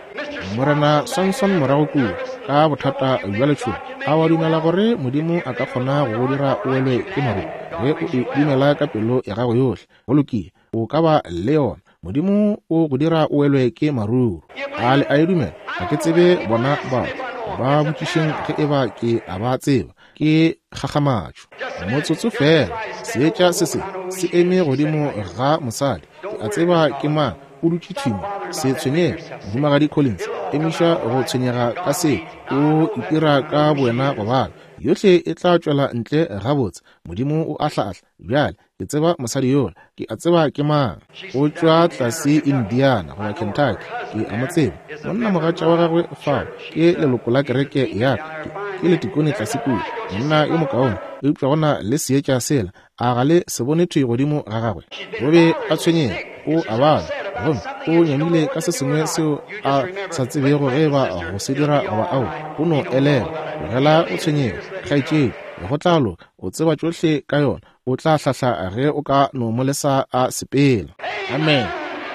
Morena Swanson morago kua, ka bothata bja letšhogo, a wa dumela gore Modimo a ka kgona go go dira o welwe ke maruru? Ge o e dumela ka pelo ya gago yohle, go lokile, o ka ba le yona. Modimo o go dira o welwe ke maruru. A le a e dumela? Ga ke tsebe bona batho. Ba botšišeng ge eba ke a ba tseba. Ke kgakgamatšo. Motsotso feela, seetša se se se eme godimo ga mosadi. Ke a tseba ke mang, o dutše thwi mo. Se tshwenyege, Mohumagadi Collins. Emiša go tshwenyega ka se. O itira ka bowena go bala. Yohle e tla tšwela ntle gabotse. Modimo o ahlaahla. Bjale, ke tseba mosadi yola. Ke a tseba ke mang. O tšwa tlase Indiana goba Kentucky. Ke a mo tseba. Monnamogatša wa gagwe fao ke leloko la kereke ya ka. Ke letikone tlase kua. Monna yo mokaone. Eupša go na le seetša sela. A ga le se bone thwi godimo ga gagwe? O be a tshwenyega. O a babja, gomme o nyamile ka se sengwe seo a sa tsebego ge eba go se dira goba ao. O no elelwa. Tlogela go tshwenyega, kgaetšedi. Go tla loka. O tseba tšohle ka yona. O tla hlahla ge o ka no mo lesa a sepela. Amen.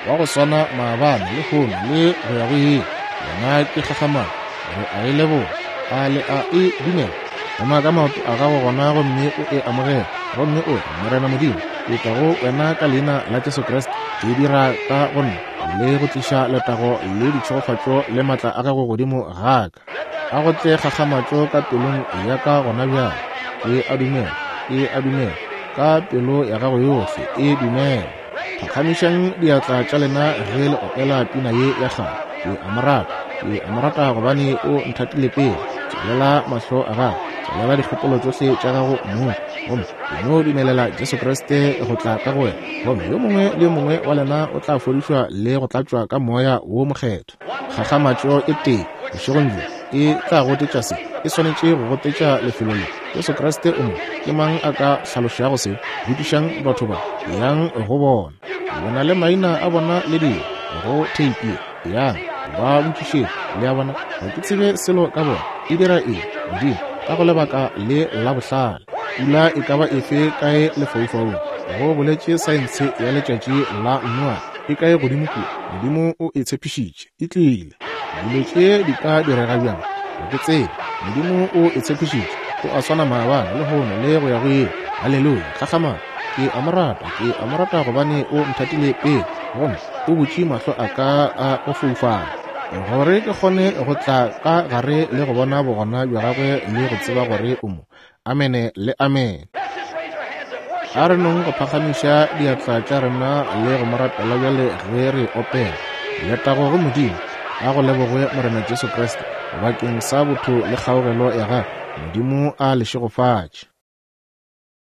Wa go swana maabane, lehono, le go ya go ile. Yena ke kgakgamalo. Re a e leboga. A le a e dumela? Ema ka maoto a gago gona gomme o e amogele, gomme o re, Morena Modimo, ke tla go wena ka Leina la Jesu Kriste. Ke dira ka go nna le go tliša letago le ditšhegofatšo le maatla a gago godimo ga ka. A go tle kgakgamatšo ka pelong ya ka gona bjale. Ke a dumela, ke a dumela, ka pelo ya gago yohle, e dumela. Phakgamišang diatla tša lena ge le opela pina ye ya kgale. Ke a mo rata, ke a mo rata gobane o nthatile pele. Tswalela mahlo a gago, tswalela dikgopolo tšohle tša gago mong, gomme o no dumelela Jesu Kriste go tla ka go wena, gomme yo mongwe le yo mongwe wa lena o tla fodišwa le go tlatšwa ka Moya wo Mokgethwa. Kgakgamatšo e tee bošegong bjo e tla gotetša se, e swanetše go gotetša lefelo le. Jesu Kriste o mo. Ke mang a ka hlalošago se? Botšišang batho ba, yang go bona. Le na le maina a bona le dilo go theipi ye. Yang, ba botšišeng. Le a bona? Ga ke tsebe selo ka bona. E dira eng? Modimo, ka go lebaka le la bohlale, pula e ka ba efe kae lefaufaung, go boletše saense ya letšatši la Noa, e kae godimo kua? Modimo o e tshepišitše. E tlile. Dilo tše di ka direga bjang? Ga ke tsebe. Modimo o e tshepišitše. O a swana maabane, lehono, le go ya go ile. Haleluya! Kgakgamalo! Ke a Mo rata. Ke a Mo rata gobane O nthatile pele, gomme O butše mahlo a ka a go foufala, gore ke kgone go tla ka gare le go bona Bogona bja Gagwe le go tseba gore O mo. Amene le amene. A re nong go phagamiša diatla tša rena le go mo rapela bjale ge re opela. Letago go Modimo, a go lebogwe Morena Jesu Kriste bakeng sa botho le kgaogelo ya gagwe. Modimo a le šegofatše.